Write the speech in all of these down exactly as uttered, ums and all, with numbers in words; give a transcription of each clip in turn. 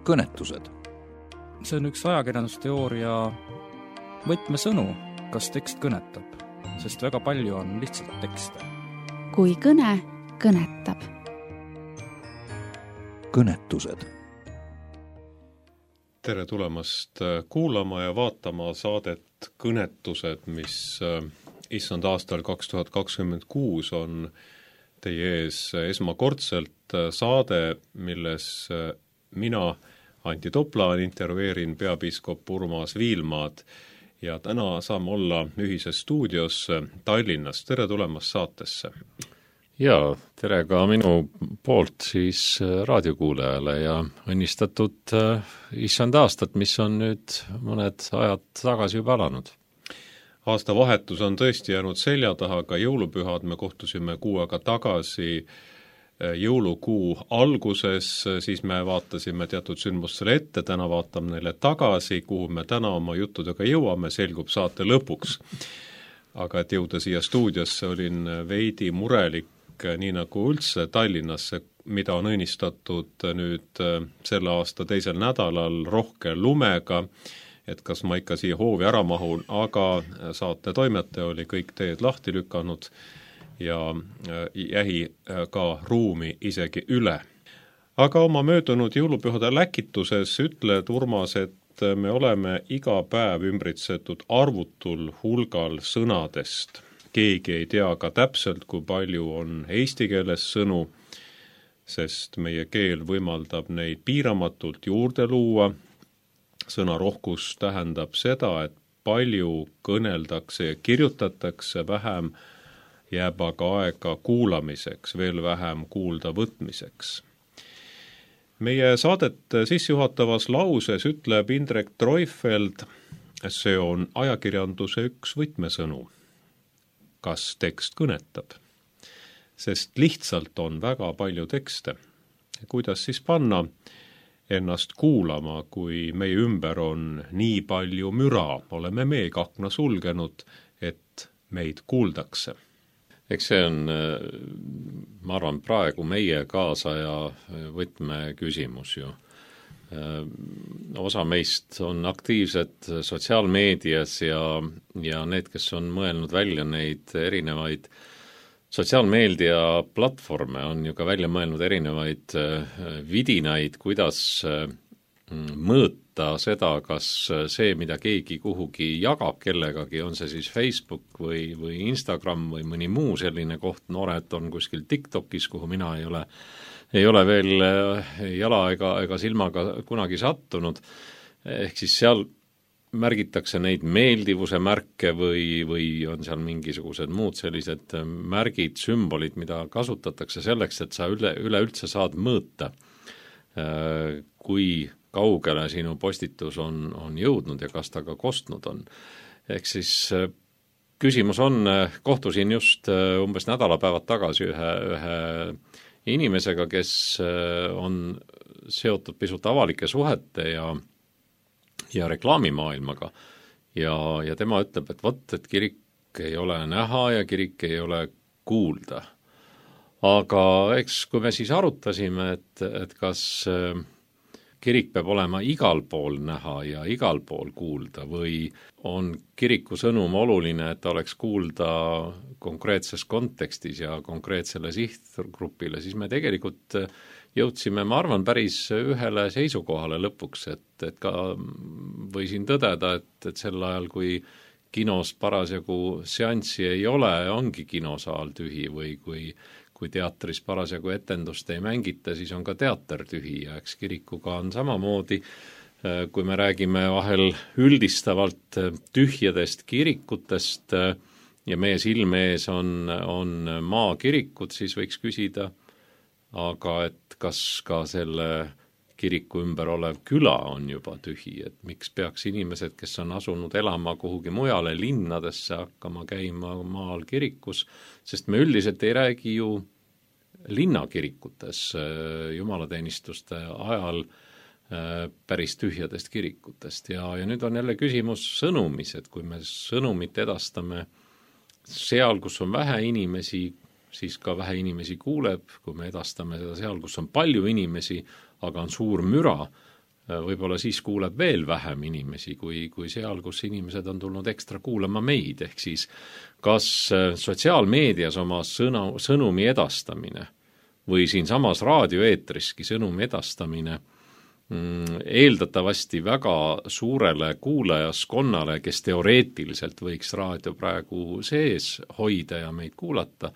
kõnetused. See on üks ajakirjandusteooria võtmesõnu, kas tekst kõnetab, sest väga palju on lihtsalt tekste. Kui kõne kõnetab. Kõnetused. Tere tulemast kuulama ja vaatama saadet Kõnetused, mis issand aastal kaks tuhat kakskümmend kuus on teie ees esmakordselt saade, milles mina, Anti Toplaan, intervjueerin peapiiskop Urmas Viilmaad ja täna saame olla ühises stuudios Tallinnas. Tere tulemast saatesse! Jaa, tere ka minu poolt siis raadiokuulajale ja õnnistatud issand aastat, mis on nüüd mõned ajad tagasi juba alanud. Aasta vahetus on tõesti jäänud selja taha, ka jõulupühad me kohtusime kuu aega tagasi jõulukuu alguses, siis me vaatasime teatud sündmustele ette, täna vaatame neile tagasi, kuhu me täna oma juttudega jõuame, selgub saate lõpuks. Aga et jõuda siia stuudiosse, olin veidi murelik, nii nagu üldse Tallinnasse, mida on õnnistatud nüüd selle aasta teisel nädalal rohke lumega, et kas ma ikka siia hoovi ära mahun, aga saate toimetaja oli kõik teed lahti lükanud ja jäi ka ruumi isegi üle. Aga oma möödunud jõulupühade läkituses ütled, Urmas, et me oleme iga päev ümbritsetud arvutul hulgal sõnadest. Keegi ei tea ka täpselt, kui palju on eesti keeles sõnu, sest meie keel võimaldab neid piiramatult juurde luua. Sõnarohkus tähendab seda, et palju kõneldakse ja kirjutatakse, vähem jääb aga aega kuulamiseks, veel vähem kuulda võtmiseks. Meie saadet sissejuhatavas lauses ütleb Indrek Treufeld, see on ajakirjanduse üks võtmesõnu. Kas tekst kõnetab? Sest lihtsalt on väga palju tekste. Kuidas siis panna ennast kuulama, kui meie ümber on nii palju müra, oleme meeg akna sulgenud, et meid kuuldakse? Eks see on, ma arvan, praegu meie kaasaja võtmeküsimus ju. Osa meist on aktiivsed sotsiaalmeedias ja, ja need, kes on mõelnud välja neid erinevaid sotsiaalmeedia platvorme, on ju ka välja mõelnud erinevaid vidinaid, kuidas mõõta seda, kas see, mida keegi kuhugi jagab kellegagi, on see siis Facebook või, või Instagram või mõni muu selline koht, noored on kuskil TikTokis, kuhu mina ei ole ei ole veel jala ega, ega silmaga kunagi sattunud, ehk siis seal märgitakse neid meeldivuse märke või, või on seal mingisugused muud sellised märgid, sümbolid, mida kasutatakse selleks, et sa üle, üleüldse saad mõõta, kui kaugele sinu postitus on, on jõudnud ja kas ta ka kostnud on. Ehk siis küsimus on, kohtusin just umbes nädalapäevad tagasi ühe, ühe inimesega, kes on seotud pisut avalike suhete ja, ja reklaamimaailmaga. Ja, ja tema ütleb, et vot, et kirik ei ole näha ja kirik ei ole kuulda. Aga eks, kui me siis arutasime, et, et kas kirik peab olema igal pool näha ja igal pool kuulda või on kiriku sõnum oluline, et ta oleks kuulda konkreetses kontekstis ja konkreetsele sihtgrupile, siis me tegelikult jõudsime, ma arvan, päris ühele seisukohale lõpuks, et, et ka võisin tõdeda, et, et sel ajal, kui kinos parasjagu seanssi ei ole, ongi kinosaal tühi või kui kui teatris parasjagu etendust ei mängita, siis on ka teater tühi ja eks kirikuga on samamoodi, kui me räägime vahel üldistavalt tühjadest kirikutest ja meie silme ees on, on maakirikud, siis võiks küsida, aga et kas ka selle kiriku ümber olev küla on juba tühi, et miks peaks inimesed, kes on asunud elama kuhugi mujale linnadesse, hakkama käima maal kirikus, sest me üldiselt ei räägi ju linnakirikutes jumalateenistuste ajal päris tühjadest kirikutest ja, ja nüüd on jälle küsimus sõnumis, et kui me sõnumit edastame seal, kus on vähe inimesi, siis ka vähe inimesi kuuleb, kui me edastame seda seal, kus on palju inimesi, aga on suur müra, võib-olla siis kuuleb veel vähem inimesi kui, kui seal, kus inimesed on tulnud ekstra kuulama meid, ehk siis kas sotsiaalmeedias oma sõna, sõnumi edastamine või siinsamas raadioeetriski sõnumi edastamine mm, eeldatavasti väga suurele kuulajaskonnale, kes teoreetiliselt võiks raadio praegu sees hoida ja meid kuulata,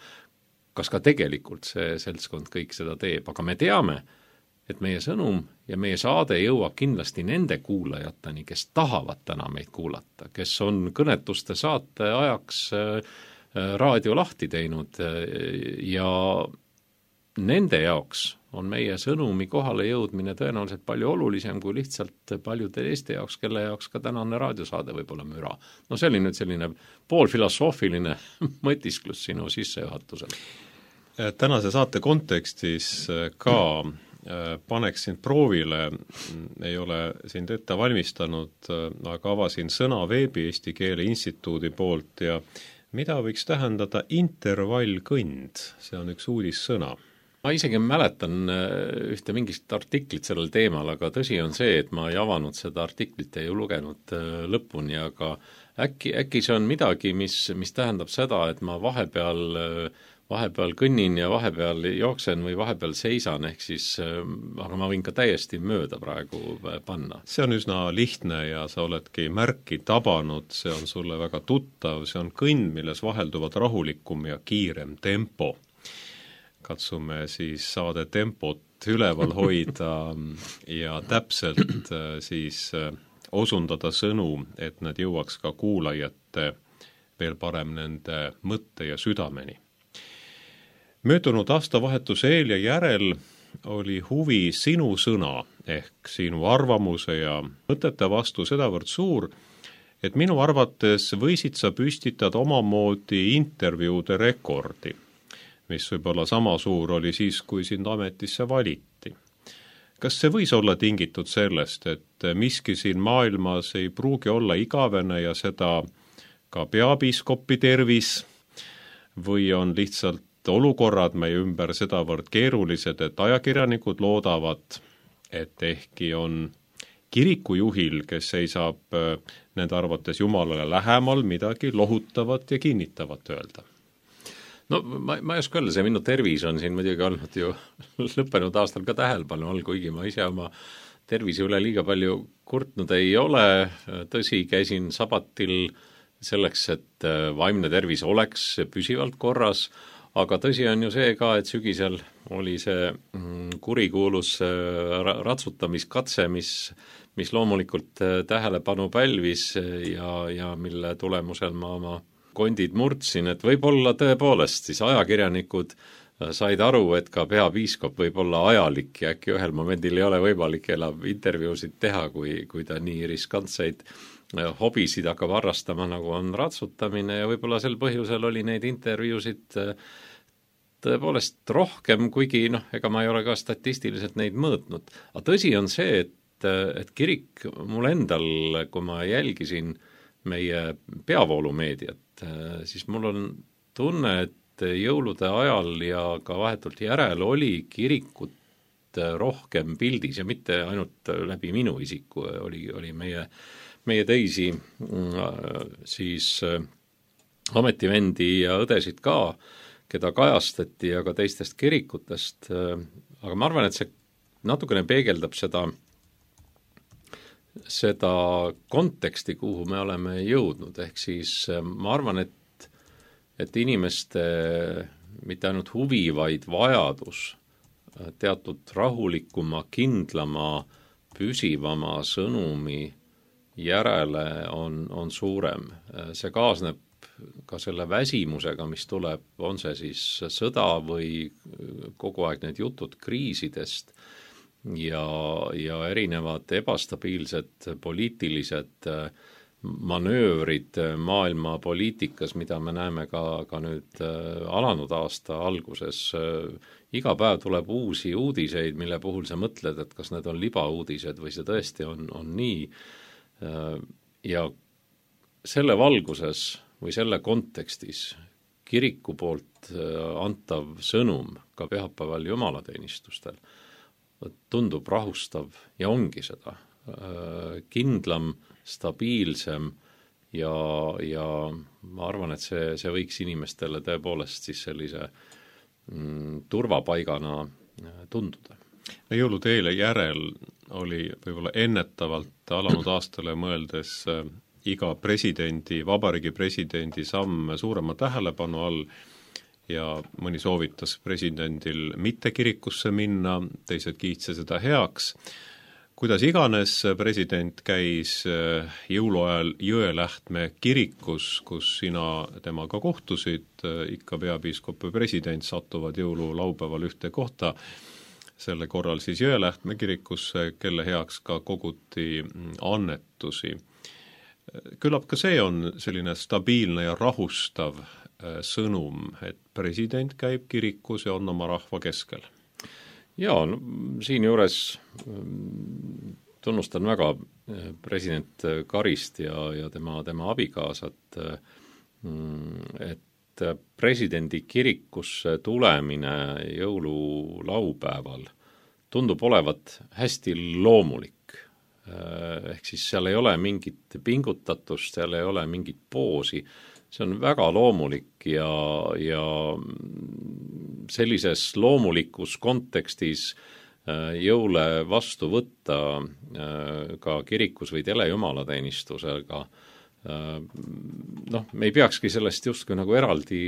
kas ka tegelikult see seltskond kõik seda teeb, aga me teame, et meie sõnum ja meie saade jõuab kindlasti nende kuulajateni, kes tahavad täna meid kuulata, kes on kõnetuste saate ajaks raadio lahti teinud ja nende jaoks on meie sõnumi kohale jõudmine tõenäoliselt palju olulisem kui lihtsalt paljude Eesti jaoks, kelle jaoks ka tänane raadiosaade võib olla müra. No see oli nüüd selline poolfilosoofiline mõtisklus sinu sissejuhatusel. Tänase saate kontekstis ka paneksin proovile, ei ole sind ette valmistanud, aga avasin sõna veebi Eesti Keele Instituudi poolt ja mida võiks tähendada intervallkõnd? See on üks uudissõna. Ma isegi mäletan ühte mingist artiklit sellel teemal, aga tõsi on see, et ma ei avanud seda artiklit ja ei lugenud lõpuni, aga äkki, äkki see on midagi, mis, mis tähendab seda, et ma vahepeal vahepeal kõnnin ja vahepeal jooksen või vahepeal seisan, ehk siis, aga ma võin ka täiesti mööda praegu panna. See on üsna lihtne ja sa oledki märki tabanud, see on sulle väga tuttav, see on kõnd, milles vahelduvad rahulikum ja kiirem tempo. Katsume siis saade tempot üleval hoida ja täpselt siis osundada sõnu, et nad jõuaks ka kuulajate veel parem nende mõtte ja südameni. Möödunud aastavahetuse eel ja järel oli huvi sinu sõna ehk sinu arvamuse ja mõtete vastu sedavõrd suur, et minu arvates võisid sa püstitada omamoodi intervjuude rekordi, mis võib-olla sama suur oli siis, kui sind ametisse valiti. Kas see võis olla tingitud sellest, et miski siin maailmas ei pruugi olla igavene ja seda ka peapiiskopi tervis või on lihtsalt olukorrad meie ümber sedavõrd keerulised, et ajakirjanikud loodavad, et ehkki on kirikujuhil, kes seisab nende arvates Jumalale lähemal, midagi lohutavat ja kinnitavat öelda. No ma, ma ei oska öelda, see minu tervis on siin muidugi olnud ju lõppenud aastal ka tähelepanu all, kuigi ma ise oma tervise üle liiga palju kurtnud ei ole. Tõsi, käisin sabatil selleks, et vaimne tervis oleks püsivalt korras, aga tõsi on ju see ka, et sügisel oli see kurikuulus ratsutamiskatse, mis, mis loomulikult tähelepanu pälvis ja, ja mille tulemusel ma oma kondid murdsin, et võib-olla tõepoolest siis ajakirjanikud said aru, et ka peapiiskop võib olla ajalik ja äkki ühel momendil ei ole võimalik enam intervjuusid teha, kui, kui ta nii riskantseid hobisid hakkab harrastama, nagu on ratsutamine ja võib-olla sel põhjusel oli neid intervjuusid tõepoolest rohkem, kuigi noh, ega ma ei ole ka statistiliselt neid mõõtnud. Aga tõsi on see, et, et kirik mul endal, kui ma jälgisin meie peavoolumeediat, siis mul on tunne, et jõulude ajal ja ka vahetult järel oli kirikut rohkem pildis ja mitte ainult läbi minu isiku, oli, oli meie meie teisi siis ametivendi ja õdesid ka, keda kajastati ja ka teistest kirikutest, aga ma arvan, et see natukene peegeldab seda, seda konteksti, kuhu me oleme jõudnud, ehk siis ma arvan, et, et inimeste mitte ainult huvi, vaid vajadus teatud rahulikuma, kindlama, püsivama sõnumi järele on, on suurem. See kaasneb ka selle väsimusega, mis tuleb, on see siis sõda või kogu aeg need jutud kriisidest ja, ja erinevad ebastabiilsed poliitilised manöövrid maailma poliitikas, mida me näeme ka, ka nüüd alanud aasta alguses. Iga päev tuleb uusi uudiseid, mille puhul sa mõtled, et kas need on libauudised või see tõesti on, on nii. Ja selle valguses või selle kontekstis kiriku poolt antav sõnum ka pühapäeval jumalateenistustel tundub rahustav ja ongi seda. Kindlam, stabiilsem ja, ja ma arvan, et see, see võiks inimestele tõepoolest siis sellise mm, turvapaigana tunduda. No jõulude eile järel oli võib-olla ennetavalt alanud aastale mõeldes äh, iga presidendi, vabariigi presidendi samm suurema tähelepanu all ja mõni soovitas presidendil mitte kirikusse minna, teised kiitse seda heaks. Kuidas iganes president käis jõuluajal Jõelähtme kirikus, kus sina temaga kohtusid, ikka peapiiskop ja president satuvad jõululaupäeval ühte kohta, selle korral siis Jõelähtme kirikusse, kelle heaks ka koguti annetusi. Küllap ka see on selline stabiilne ja rahustav sõnum, et president käib kirikus ja on oma rahva keskel. Jaa, no, siin juures tunnustan väga president Karist ja, ja tema, tema abikaasat, et presidendi kirikusse tulemine jõululaupäeval tundub olevat hästi loomulik. Ehk siis seal ei ole mingit pingutatust, seal ei ole mingit poosi. See on väga loomulik ja, ja sellises loomulikus kontekstis jõule vastu võtta ka kirikus või telejumalateenistusega, noh, me ei peakski sellest justkui nagu eraldi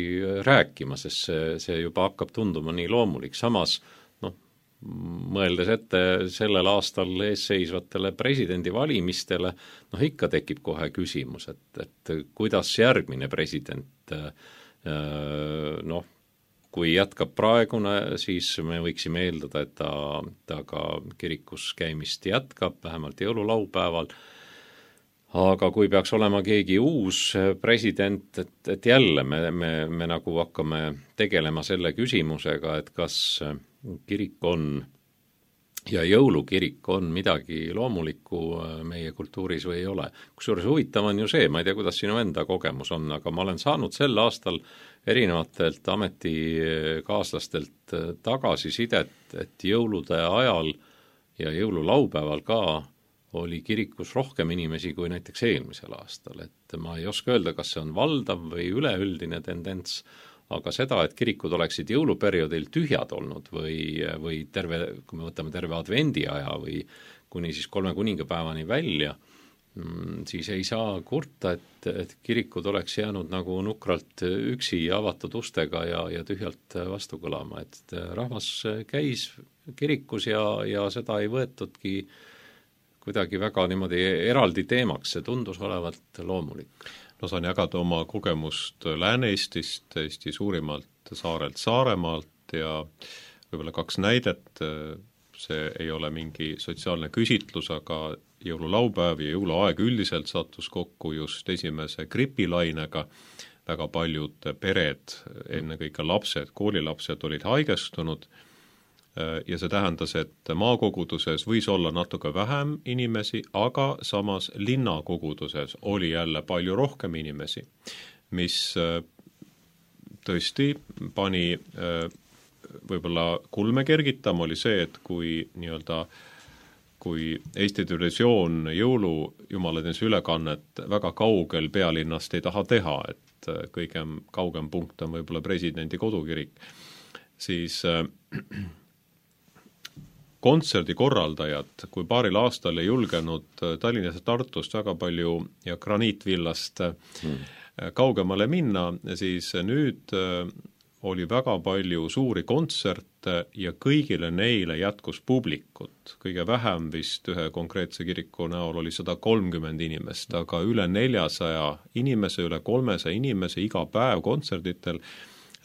rääkima, sest see, see juba hakkab tunduma nii loomulik. Samas, noh, mõeldes ette sellel aastal eesseisvatele presidendivalimistele, noh ikka tekib kohe küsimus, et, et kuidas järgmine president, noh, kui jätkab praegune, siis me võiksime eeldada, et ta, ta ka kirikus käimist jätkab, vähemalt jõululaupäeval, aga kui peaks olema keegi uus president, et, et jälle me, me, me nagu hakkame tegelema selle küsimusega, et kas kirik on ja jõulukirik on midagi loomulikku meie kultuuris või ei ole. Kusjuures huvitav on ju see, ma ei tea, kuidas sinu enda kogemus on, aga ma olen saanud sel aastal erinevatelt ametikaaslastelt tagasisidet, et jõulude ajal ja jõululaupäeval ka oli kirikus rohkem inimesi kui näiteks eelmisel aastal. Et ma ei oska öelda, kas see on valdav või üleüldine tendents, aga seda, et kirikud oleksid jõuluperioodil tühjad olnud või, või terve, kui me võtame terve advendi aja või kuni siis kolme kuningapäevani välja, siis ei saa kurta, et, et kirikud oleks jäänud nagu nukralt üksi avatud ustega ja, ja tühjalt vastu kõlama. Et rahvas käis kirikus ja, ja seda ei võetudki kuidagi väga niimoodi eraldi teemaks, see tundus olevat loomulik. No saan jagada oma kogemust Lääne-Eestist, Eesti suurimalt saarelt Saaremaalt ja võib-olla kaks näidet, see ei ole mingi sotsiaalne küsitlus, aga jõululaupäev ja jõuluaeg üldiselt sattus kokku just esimese gripilainega, väga paljud pered, ennekõike lapsed, koolilapsed olid haigestunud ja see tähendas, et maakoguduses võis olla natuke vähem inimesi, aga samas linnakoguduses oli jälle palju rohkem inimesi, mis tõesti pani võib-olla kulme kergitama, oli see, et kui nii-öelda kui Eesti Televisioon jõulu jumalateenistuse ülekannet väga kaugel pealinnast ei taha teha, et kõige kaugem punkt on võib-olla presidendi kodukirik, siis kontserdi korraldajad, kui paaril aastal ei julgenud Tallinnas ja Tartust väga palju ja Graniitvillast hmm. kaugemale minna, siis nüüd oli väga palju suuri kontserte ja kõigile neile jätkus publikut. Kõige vähem vist ühe konkreetse kiriku näol oli sada kolmkümmend inimest, aga üle neljasaja inimese, üle kolmesaja inimese iga päev kontserditel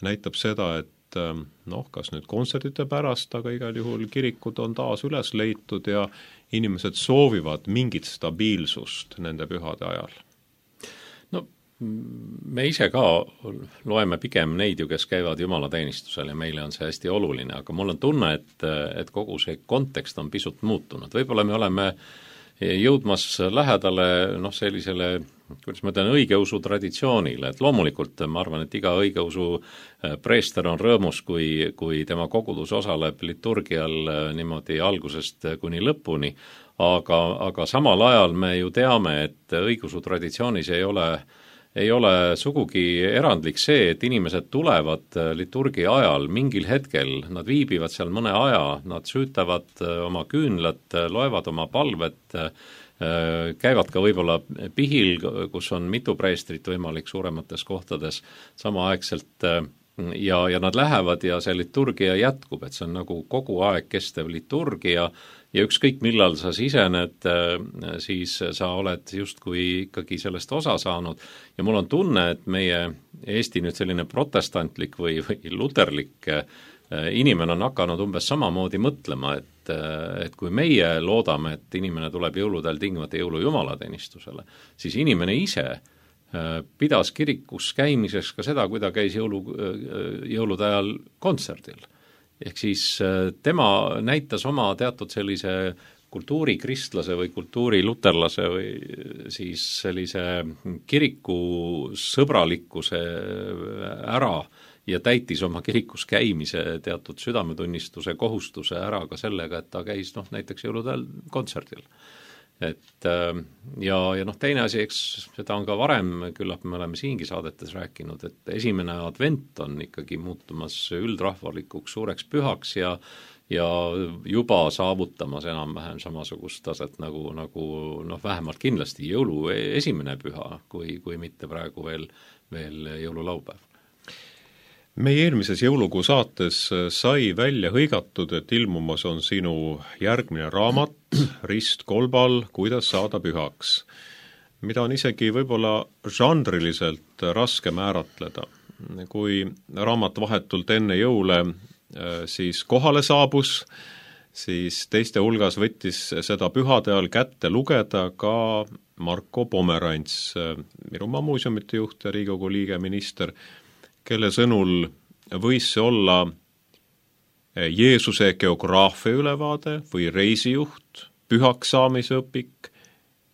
näitab seda, et noh, kas nüüd kontserdite pärast, aga igal juhul kirikud on taas üles leitud ja inimesed soovivad mingit stabiilsust nende pühade ajal. No me ise ka loeme pigem neid ju, kes käivad jumalateenistusel ja meile on see hästi oluline, aga mul on tunne, et, et kogu see kontekst on pisut muutunud. Võib-olla me oleme jõudmas lähedale noh, sellisele kuidas ma ütlen, õigeusu traditsioonile, et loomulikult ma arvan, et iga õigeusu preester on rõõmus, kui, kui tema kogudus osaleb liturgial niimoodi algusest kuni lõpuni, aga, aga samal ajal me ju teame, et õigeusu traditsioonis ei ole ei ole sugugi erandlik see, et inimesed tulevad liturgia ajal mingil hetkel, nad viibivad seal mõne aja, nad süütavad oma küünlad, loevad oma palvet, käivad ka võib-olla pihil, kus on mitu preestrit võimalik suuremates kohtades samaaegselt ja, ja nad lähevad ja see liturgia jätkub, et see on nagu kogu aeg kestev liturgia ja ükskõik millal sa sisened, siis sa oled justkui ikkagi sellest osa saanud ja mul on tunne, et meie Eesti nüüd selline protestantlik või, või luterlik inimene on hakanud umbes samamoodi mõtlema, et, et kui meie loodame, et inimene tuleb jõuludel tingimata jõulujumalateenistusele, siis inimene ise pidas kirikus käimiseks ka seda, kui ta käis jõulu, jõulude ajal kontserdil. Ehk siis tema näitas oma teatud sellise kultuurikristlase või kultuuriluterlase või siis sellise kiriku sõbralikkuse ära ja täitis oma kirikus käimise teatud südametunnistuse kohustuse ära ka sellega, et ta käis noh, näiteks jõuludel kontserdil. Et ja, ja noh, teine asi, eks seda on ka varem, küllap me oleme siingi saadetes rääkinud, et esimene advent on ikkagi muutumas üldrahvalikuks suureks pühaks ja, ja juba saavutamas enam-vähem samasugust taset nagu, nagu noh, vähemalt kindlasti jõulu esimene püha, kui, kui mitte praegu veel, veel jõululaupäev. Meie eelmises jõulukuu saates sai välja hõigatud, et ilmumas on sinu järgmine raamat Rist kolbal, kuidas saada pühaks, mida on isegi võib-olla žanriliselt raske määratleda. Kui raamat vahetult enne jõule siis kohale saabus, siis teiste hulgas võttis seda pühade all kätte lugeda ka Marko Pomerants, Virumaa muuseumite juht ja Riigikogu liige minister, kelle sõnul võis see olla Jeesuse geograafia ülevaade või reisijuht, pühaks saamise õpik,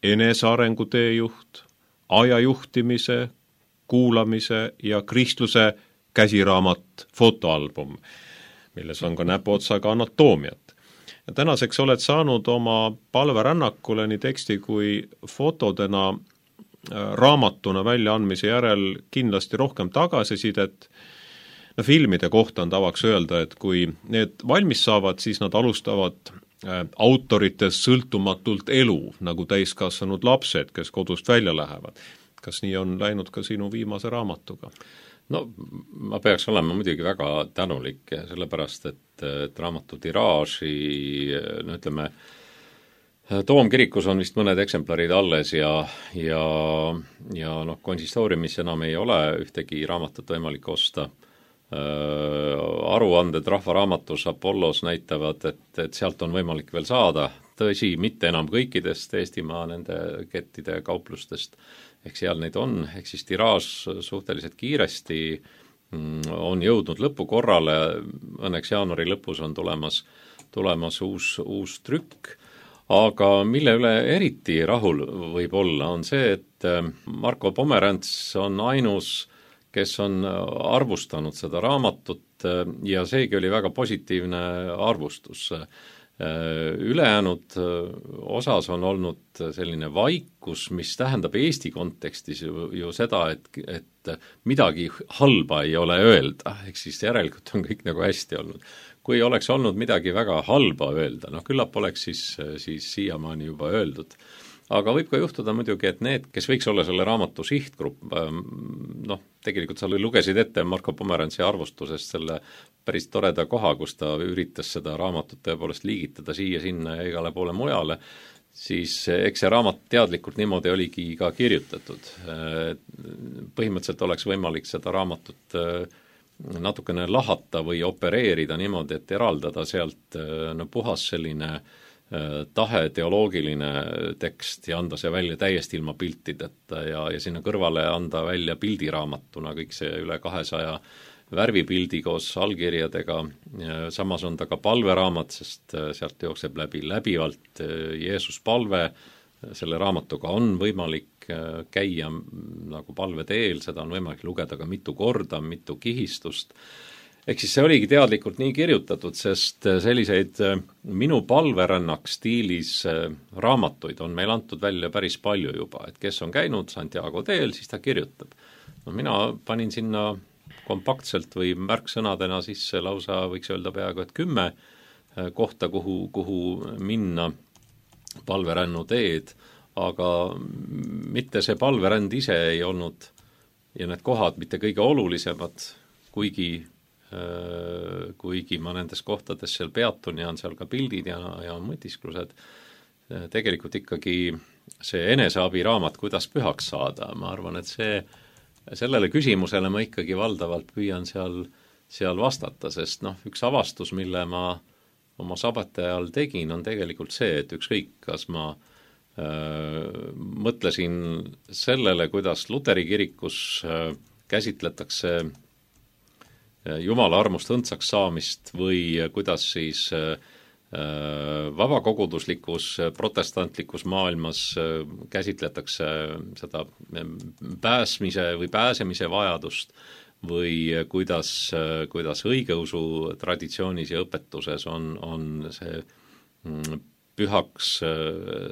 enesearengu teejuht, ajajuhtimise, kuulamise ja kristluse käsiraamat fotoalbum, milles on ka näpuotsaga anatoomiat. Ja tänaseks oled saanud oma palverännakule nii teksti kui fotodena raamatuna väljaandmise järel kindlasti rohkem tagasisidet. No, filmide kohta on tavaks öelda, et kui need valmis saavad, siis nad alustavad autoritest sõltumatult elu, nagu täiskasvanud lapsed, kes kodust välja lähevad. Kas nii on läinud ka sinu viimase raamatuga? No ma peaks olema muidugi väga tänulik, sellepärast et, et raamatu tiraaži, no ütleme, Toomkirikus on vist mõned eksemplarid alles ja, ja, ja noh, konsistooriumis enam ei ole ühtegi raamatut võimalik osta. Aruanded Rahvaraamatus Apollos näitavad, et, et sealt on võimalik veel saada, tõsi, mitte enam kõikidest Eestimaa nende kettide kauplustest, ehk seal neid on, ehk siis tiraaž suhteliselt kiiresti on jõudnud lõpukorrale, õnneks jaanuari lõpus on tulemas, tulemas uus, uus trükk, aga mille üle eriti rahul võib olla, on see, et Marko Pomerants on ainus, kes on arvustanud seda raamatut ja seegi oli väga positiivne arvustus. Ülejäänud osas on olnud selline vaikus, mis tähendab Eesti kontekstis ju, ju seda, et, et midagi halba ei ole öelda, ehk siis järelikult on kõik nagu hästi olnud. Kui oleks olnud midagi väga halba öelda, noh küllap oleks siis, siis siiamaani juba öeldud. Aga võib ka juhtuda muidugi, et need, kes võiks olla selle raamatu sihtgrupp, noh, tegelikult sa lugesid ette Marko Pomerantsi arvustusest selle päris toreda koha, kus ta üritas seda raamatut tõepoolest liigitada siia-sinna ja igale poole mujale, siis eks see raamat teadlikult niimoodi oligi ka kirjutatud. Põhimõtteliselt oleks võimalik seda raamatut natukene lahata või opereerida niimoodi, et eraldada sealt no, puhas selline tahe teoloogiline tekst ja anda see välja täiesti ilma piltideta ja, ja sinna kõrvale anda välja pildiraamatuna kõik see üle kahesaja värvipildi koos allkirjadega, samas on ta ka palveraamat, sest sealt jookseb läbi läbivalt Jeesus palve, selle raamatuga on võimalik käia nagu palveteel, seda on võimalik lugeda ka mitu korda, mitu kihistust. Ehk siis see oligi teadlikult nii kirjutatud, sest selliseid minu palverännak stiilis raamatuid on meil antud välja päris palju juba, et kes on käinud Santiago teel, siis ta kirjutab. No mina panin sinna kompaktselt või märksõnadena sisse lausa võiks öelda peaaegu, et kümme kohta, kuhu, kuhu minna palverännu teed, aga mitte see palveränd ise ei olnud ja need kohad mitte kõige olulisemad, kuigi kuigi ma nendes kohtades seal peatun ja on seal ka pildid ja, ja mõtisklused, tegelikult ikkagi see eneseabiraamat, kuidas pühaks saada, ma arvan, et see, sellele küsimusele ma ikkagi valdavalt püüan seal, seal vastata, sest noh, üks avastus, mille ma oma sabati ajal tegin, on tegelikult see, et ükskõik, kas ma öö, mõtlesin sellele, kuidas Luteri kirikus öö, käsitletakse Jumala armust õndsaks saamist või kuidas siis vabakoguduslikus protestantlikus maailmas käsitletakse seda pääsmise või pääsemise vajadust või kuidas, kuidas õigeusu traditsioonis ja õpetuses on, on see pühaks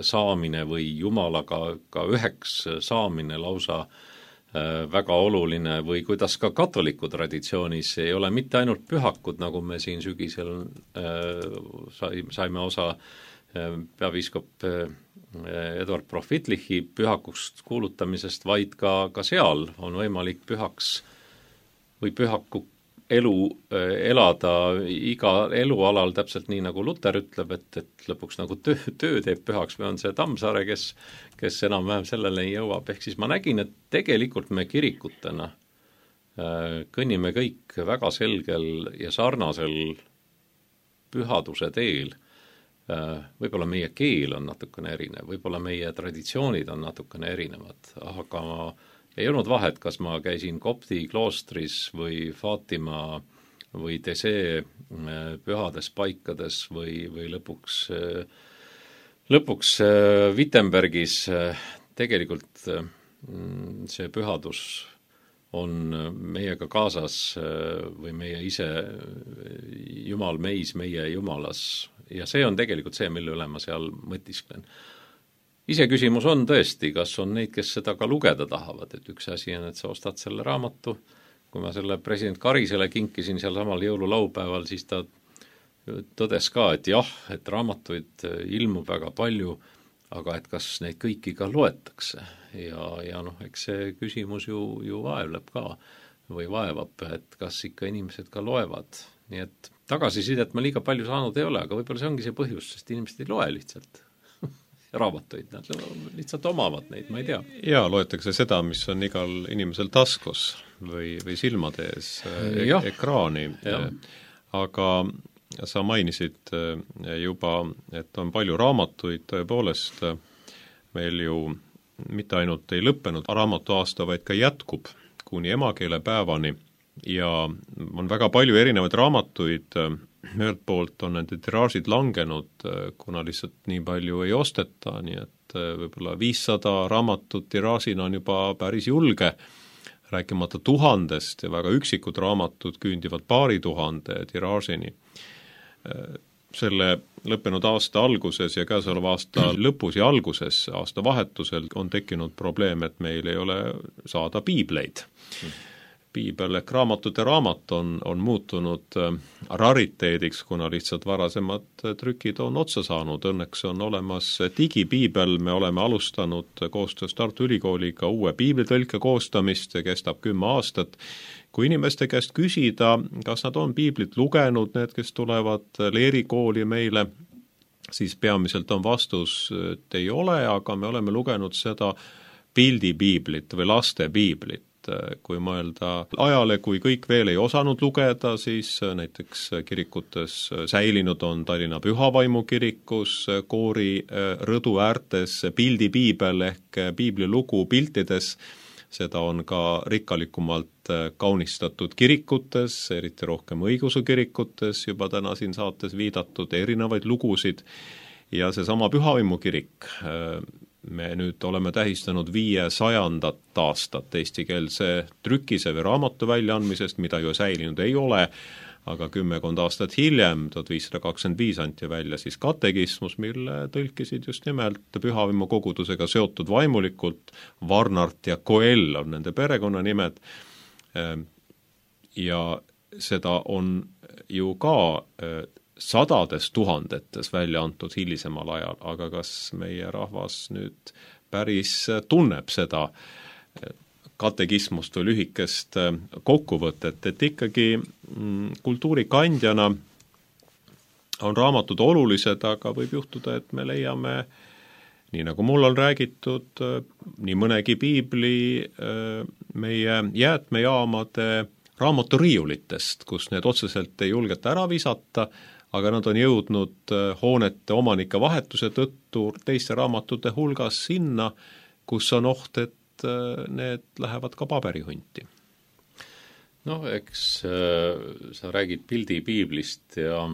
saamine või Jumalaga ka üheks saamine lausa väga oluline või kuidas ka katoliku traditsioonis ei ole mitte ainult pühakud, nagu me siin sügisel äh, saime osa äh, peapiiskop äh, Eduard Profitlichi pühakust kuulutamisest, vaid ka, ka seal on võimalik pühaks või pühaku elu äh, elada iga elualal täpselt nii, nagu Luter ütleb, et, et lõpuks nagu töö, töö teeb pühaks või on see Tammsaare, kes kes enam-vähem sellele ei jõuab. Ehk siis ma nägin, et tegelikult me kirikutena kõnnime kõik väga selgel ja sarnasel pühaduse teel. Võib-olla meie keel on natukene erinev, võib-olla meie traditsioonid on natukene erinevad, aga ei olnud vahet, kas ma käisin Kopti kloostris või Fatima või Tese pühades paikades või, või lõpuks Lõpuks Wittenbergis tegelikult see pühadus on meiega kaasas või meie ise Jumal meis, meie Jumalas ja see on tegelikult see, mille üle ma seal mõtisklen. Ise küsimus on tõesti, kas on neid, kes seda ka lugeda tahavad, et üks asi on, et sa ostad selle raamatu, kui ma selle president Karisele kinkisin seal samal jõululaupäeval, siis ta tõdes ka, et jah, et raamatuid ilmub väga palju, aga et kas neid kõiki ka loetakse ja, ja noh, eks see küsimus ju, ju vaevleb ka või vaevab, et kas ikka inimesed ka loevad. Nii et tagasisidet ma liiga palju saanud ei ole, aga võib-olla see ongi see põhjus, sest inimesed ei loe lihtsalt raamatuid, nad lihtsalt omavad neid, ma ei tea. Jaa, loetakse seda, mis on igal inimesel taskus või, või silmade ees e ekraani, aga sa mainisid juba, et on palju raamatuid, tõepoolest meil ju mitte ainult ei lõppenud raamatuaasta, vaid ka jätkub kuni emakeelepäevani ja on väga palju erinevaid raamatuid, ühelt poolt on nende tiraažid langenud, kuna lihtsalt nii palju ei osteta, nii et võib-olla viissada raamatut tiraažina on juba päris julge, rääkimata tuhandest ja väga üksikud raamatud küündivad paari tuhande tiraažini. Selle lõppenud aasta alguses ja käesoleva aasta lõpus ja alguses aasta vahetusel on tekkinud probleem, et meil ei ole saada piibleid. Piibel ehk raamatute raamat on, on muutunud rariteediks, kuna lihtsalt varasemad trükid on otsa saanud. Õnneks on olemas digipiibel, me oleme alustanud koostöös Tartu Ülikooliga uue piiblitõlke koostamist, see kestab kümme aastat. Kui inimeste käest küsida, kas nad on piiblit lugenud, need, kes tulevad leerikooli meile, siis peamiselt on vastus, et ei ole, aga me oleme lugenud seda pildipiiblit või laste piiblit. Kui mõelda ajale, kui kõik veel ei osanud lugeda, siis näiteks kirikutes säilinud on Tallinna Pühavaimu kirikus, koori rõdu äärtes pildipiibel ehk piiblilugu piltides. Seda on ka rikkalikumalt kaunistatud kirikutes, eriti rohkem õigeusu kirikutes, juba täna siin saates viidatud erinevaid lugusid ja seesama Pühavaimu kirik me nüüd oleme tähistanud viiesajandat aastat eestikeelse trükise või raamatu väljaandmisest, mida ju säilinud ei ole, aga kümmekond aastat hiljem, tuhat viissada kakskümmend viis anti välja siis katekismus, mille tõlkisid just nimelt pühavaimu kogudusega seotud vaimulikult, Varnart ja Koell on nende perekonnanimed, ja seda on ju ka sadades tuhandetes välja antud hilisemal ajal, aga kas meie rahvas nüüd päris tunneb seda katekismust või lühikest kokkuvõtet, et ikkagi kultuurikandjana on raamatud olulised, aga võib juhtuda, et me leiame, nii nagu mul on räägitud, nii mõnegi piibli meie jäätmejaamade raamaturiiulitest, kus need otseselt ei julgeta ära visata, aga nad on jõudnud hoonete omanike vahetuse tõttu teiste raamatute hulgas sinna, kus on oht, et need lähevad ka paberihunti. noh, eks äh, sa räägid pildipiiblist ja,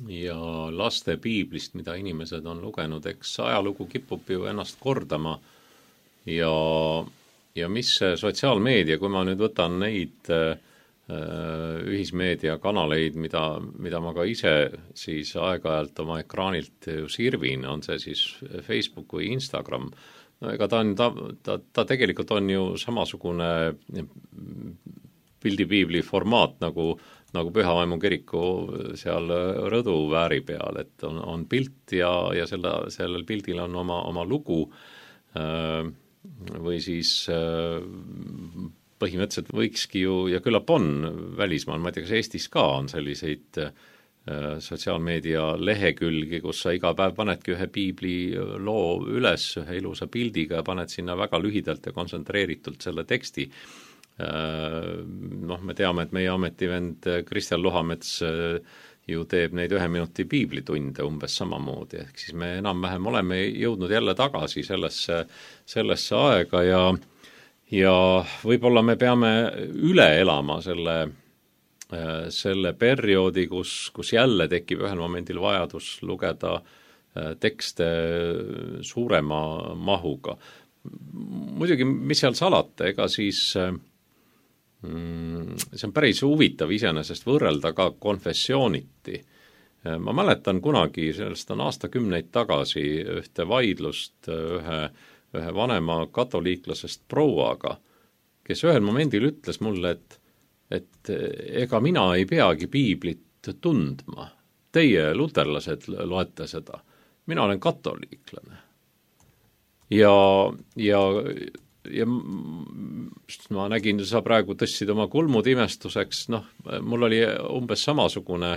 ja laste piiblist, mida inimesed on lugenud, eks ajalugu kipub ju ennast kordama ja, ja mis see sotsiaalmeedia, kui ma nüüd võtan neid äh, ühismeediakanaleid, mida, mida ma ka ise siis aeg-ajalt oma ekraanilt ju sirvin, on see siis Facebook või Instagram, no ega ta on, ta, ta, ta tegelikult on ju samasugune pildipiibli formaat nagu, nagu Pühavaimu kiriku seal rõdu vääri peal, et on, on pilt ja, ja selle, sellel pildil on oma, oma lugu või siis põhimõtteliselt võikski ju, ja küllap on välismaal, ma ei tea, kas Eestis ka on selliseid sotsiaalmeedia lehekülgi, kus sa iga päev panedki ühe piibli loo üles ühe ilusa pildiga ja paned sinna väga lühidalt ja kontsentreeritult selle teksti. Noh, me teame, et meie ametivend Kristjan Luhamets ju teeb neid ühe minuti piiblitunde umbes samamoodi, ehk siis me enam-vähem oleme jõudnud jälle tagasi sellesse, sellesse aega ja, ja võib-olla me peame üle elama selle selle perioodi, kus, kus jälle tekib ühel momendil vajadus lugeda tekste suurema mahuga. Muidugi, mis seal salata, ega siis mm, see on päris huvitav iseenesest võrrelda ka konfessiooniti. Ma mäletan kunagi, sellest on aastakümneid tagasi ühte vaidlust ühe, ühe vanema katoliiklasest prouaga, kes ühel momendil ütles mulle, et et ega mina ei peagi piiblit tundma. Teie luterlased loete seda. Mina olen katoliiklane. Ja, ja, ja ma nägin, sa praegu tõstsid oma kulmud imestuseks, noh, mul oli umbes samasugune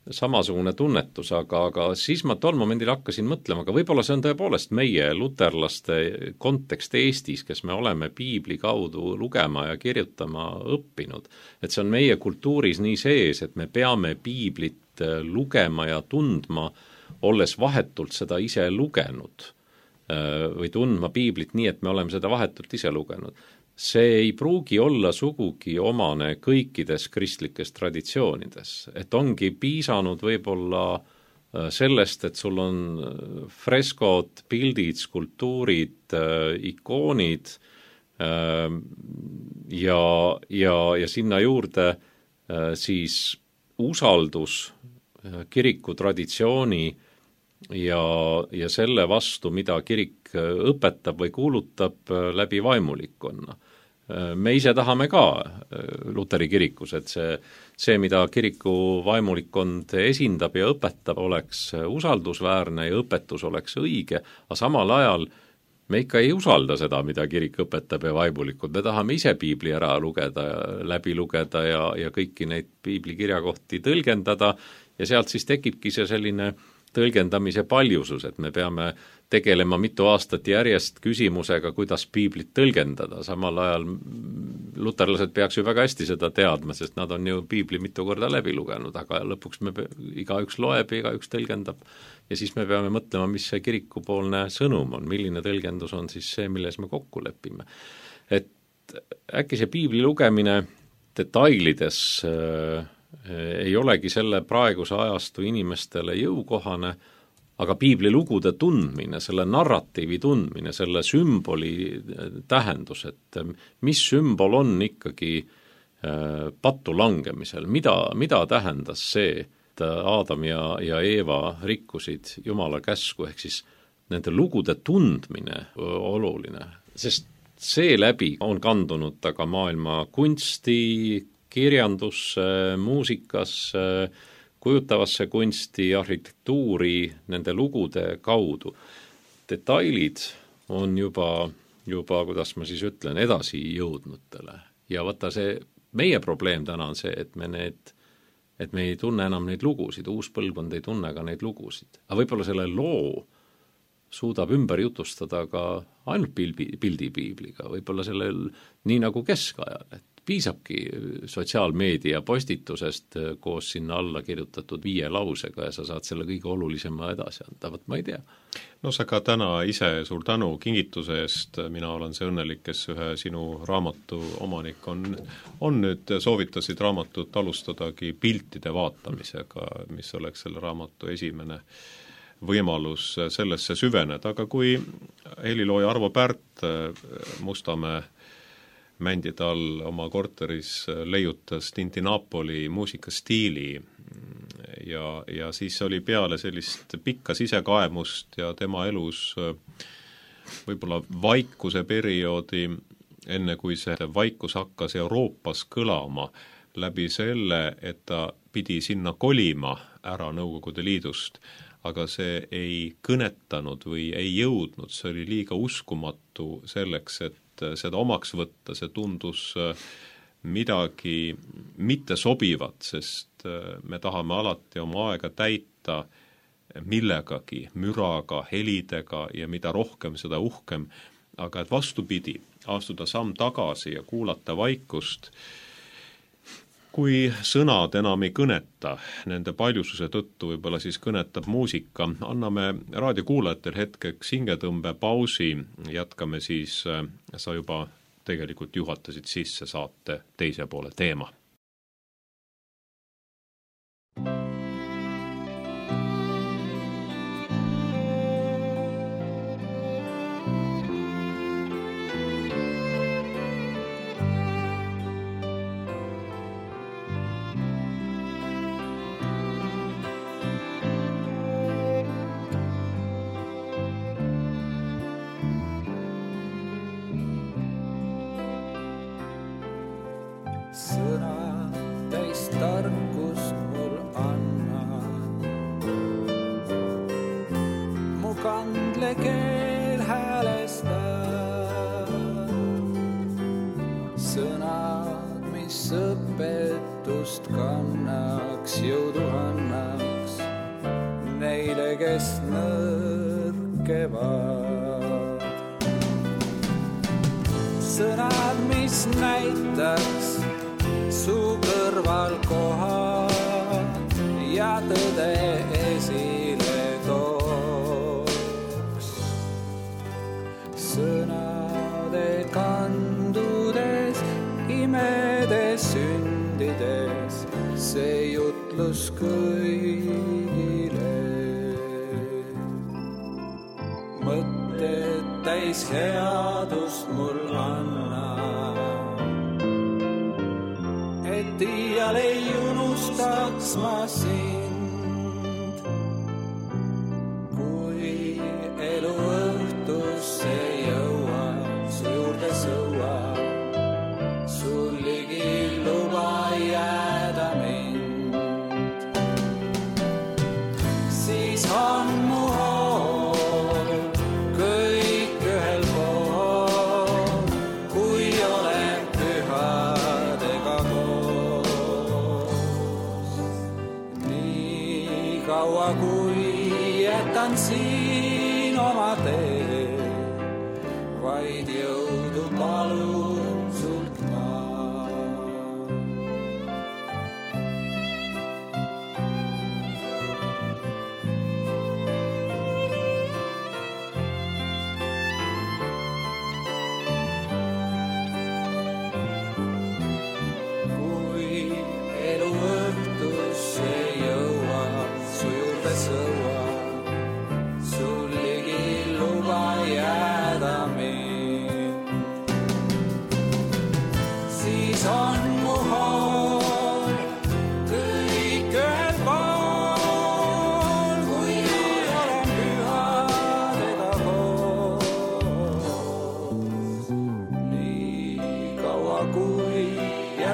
samasugune tunnetus, aga, aga siis ma tol momendil hakkasin mõtlema, aga võib-olla see on tõepoolest meie luterlaste kontekst Eestis, kes me oleme piibli kaudu lugema ja kirjutama õppinud. Et see on meie kultuuris nii sees, et me peame piiblit lugema ja tundma, olles vahetult seda ise lugenud või tundma piiblit nii, et me oleme seda vahetult ise lugenud. See ei pruugi olla sugugi omane kõikides kristlikes traditsioonides, et ongi piisanud võib-olla sellest, et sul on freskod, pildid, skulptuurid, ikoonid ja, ja, ja sinna juurde siis usaldus kiriku traditsiooni ja, ja selle vastu, mida kirik õpetab või kuulutab läbi vaimulikkonna. Me ise tahame ka Luteri kirikus, et see, see, mida kiriku vaimulikkond esindab ja õpetab, oleks usaldusväärne ja õpetus oleks õige, aga samal ajal me ikka ei usalda seda, mida kirik õpetab ja vaimulikud. Me tahame ise piibli ära lugeda, läbi lugeda ja, ja kõiki neid piibli kirjakohti tõlgendada ja sealt siis tekibki see selline tõlgendamise paljusus, et me peame tegelema mitu aastat järjest küsimusega, kuidas piiblit tõlgendada. Samal ajal luterlased peaks ju väga hästi seda teadma, sest nad on ju piibli mitu korda läbi lugenud, aga lõpuks me igaüks loeb ja igaüks tõlgendab ja siis me peame mõtlema, mis see kirikupoolne sõnum on, milline tõlgendus on siis see, milles me kokku lepime. Et äkki see piibli lugemine detailides äh, ei olegi selle praeguse ajastu inimestele jõukohane, aga piiblilugude tundmine, selle narratiivi tundmine, selle sümboli tähendus, et mis sümbol on ikkagi pattu langemisel, mida, mida tähendas see, et Aadam ja, ja Eeva rikkusid Jumala käsku, ehk siis nende lugude tundmine oluline, sest seeläbi on kandunud ta ka maailma kunsti, kirjandusse, muusikasse, kujutavasse kunsti, arhitektuuri, nende lugude kaudu. Detailid on juba, juba, kuidas ma siis ütlen, edasi jõudnutele. Ja vaata see, meie probleem täna on see, et me need, et me ei tunne enam neid lugusid, uus põlvkond ei tunne ka neid lugusid. Aga võib-olla selle loo suudab ümber jutustada ka ainult pildi, pildipiibliga, võib-olla sellel nii nagu keskajal, et piisabki sotsiaalmeedia postitusest koos sinna alla kirjutatud viie lausega ja sa saad selle kõige olulisema edasi anda, võt ma ei tea. No sa ka täna ise suur tänu kingituse eest, mina olen see õnnelik, kes ühe sinu raamatu omanik on, on nüüd soovitasid raamatut alustadagi piltide vaatamisega, mis oleks selle raamatu esimene võimalus sellesse süveneda, aga kui helilooja Arvo Pärt Mustamäe mändide all oma korteris leiutas Tintinapoli muusikastiili ja, ja siis oli peale sellist pikka sisekaemust ja tema elus võib-olla vaikuse perioodi, enne kui see vaikus hakkas Euroopas kõlama läbi selle, et ta pidi sinna kolima ära Nõukogude Liidust, aga see ei kõnetanud või ei jõudnud, see oli liiga uskumatu selleks, et seda omaks võtta, see tundus midagi mitte sobivat, sest me tahame alati oma aega täita millegagi, müraga, helidega ja mida rohkem, seda uhkem, aga et vastupidi, astuda samm tagasi ja kuulata vaikust, kui sõnad enam ei kõneta, nende paljususe tõttu võib-olla siis kõnetab muusika, anname raadiokuulajatel hetkeks hingetõmbe pausi, jätkame siis, sa juba tegelikult juhatasid sisse saate teise poole teema. Sõna täis tarkust mul anna, mu kandle keel häälesta. Sõnad, mis õpetust kannaks, jõudu annaks neile, kes nõrkevad. Sõnad, mis näitaks su kõrval kohad ja tõde esile tooks. Sõnade kandudes, imedes, sündides, see jutlus kõigile. Mõtted täis headust mul anna, iial ei unustaks ma sind, kui elu õhtusse jõuab, su juurde sõuab, sul ligi luba jääda mind. Siis on mu hool kõik ühel pool, kui olen pühadega koos. Kaua kui jätan siin oma tee, vaid jõudu palun sult ma. Kui elu õhtusse jõuab, su juurde sõuab,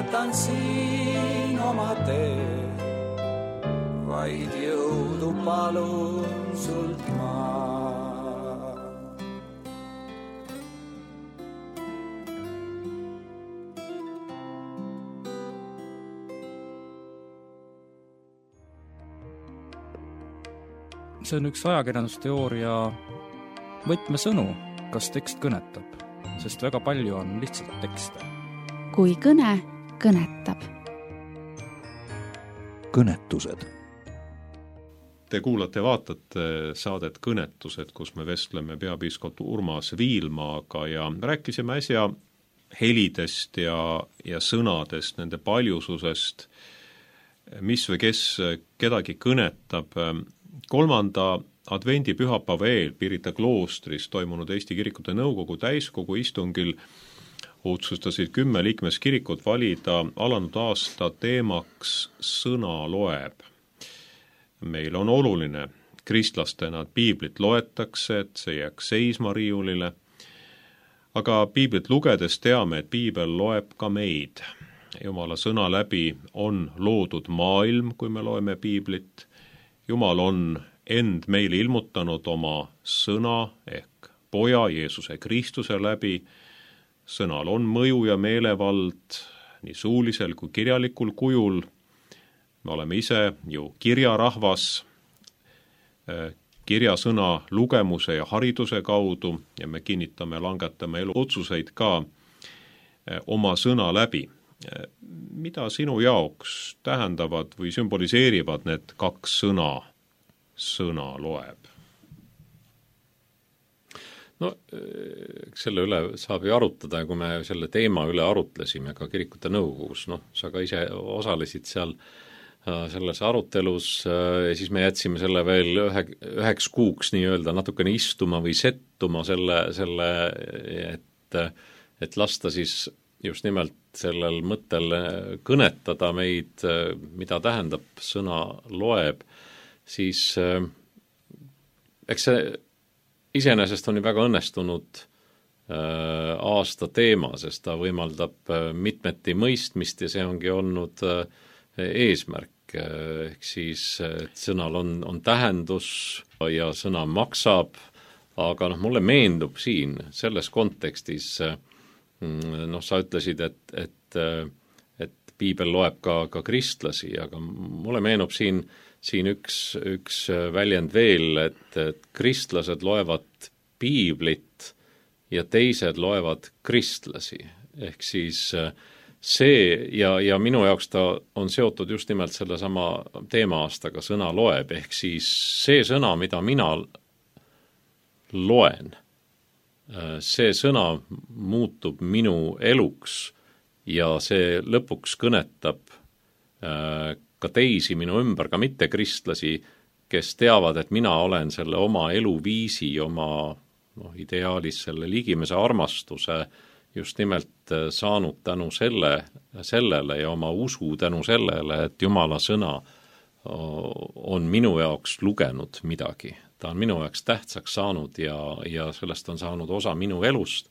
jätan siin oma tee, vaid jõudu palun sult ma. See on üks ajakirjandusteooria võtmesõnu, kas tekst kõnetab, sest väga palju on lihtsalt tekste. Kui kõne kõnetab. Kõnetused. Te kuulate, vaatate saadet Kõnetused, kus me vestleme peapiiskop Urmas Viilmaaga ja rääkisime äsja helidest ja, ja sõnadest, nende paljususest, mis või kes kedagi kõnetab. Kolmanda advendi pühapäeva eel Pirita kloostris toimunud Eesti Kirikute Nõukogu täiskogu istungil otsustasid kümme liikmeskirikut valida alanud aasta teemaks sõna loeb. Meil on oluline kristlastena, et piiblit loetakse, et see jääks seisma riiulile, aga piiblit lugedes teame, et piibel loeb ka meid. Jumala sõna läbi on loodud maailm, kui me loeme piiblit. Jumal on end meile ilmutanud oma sõna ehk poja Jeesuse Kristuse läbi. Sõnal on mõju ja meelevald nii suulisel kui kirjalikul kujul. Me oleme ise ju kirjarahvas, kirjasõna lugemuse ja hariduse kaudu ja me kinnitame, langetame elu otsuseid ka oma sõna läbi. Mida sinu jaoks tähendavad või sümboliseerivad need kaks sõna, sõna loeb? No selle üle saab ju arutada ja kui me selle teema üle arutlesime ka Kirikute Nõukogus, noh, sa ka ise osalesid seal selles arutelus ja siis me jätsime selle veel ühe, üheks kuuks nii-öelda natukene istuma või settuma selle, selle et, et lasta siis just nimelt sellel mõttel kõnetada meid, mida tähendab sõna loeb, siis eks see iseenesest on ju väga õnnestunud aasta teema, sest ta võimaldab mitmeti mõistmist ja see ongi olnud eesmärk. Ehk siis, et sõnal on, on tähendus ja sõna maksab, aga noh, mulle meendub siin selles kontekstis noh, sa ütlesid, et, et, et piibel loeb ka, ka kristlasi, aga mulle meenub siin, siin üks, üks väljend veel, et, et kristlased loevad piiblit ja teised loevad kristlasi. Ehk siis see ja, ja minu jaoks ta on seotud just nimelt selle sama teema-aastaga sõna loeb, ehk siis see sõna, mida mina loen, see sõna muutub minu eluks ja see lõpuks kõnetab ka teisi minu ümber, ka mitte kristlasi, kes teavad, et mina olen selle oma eluviisi, oma noh, ideaalis selle ligimese armastuse just nimelt saanud tänu selle, sellele ja oma usu tänu sellele, et Jumala sõna on minu jaoks lugenud midagi. Ta on minu jaoks tähtsaks saanud ja, ja sellest on saanud osa minu elust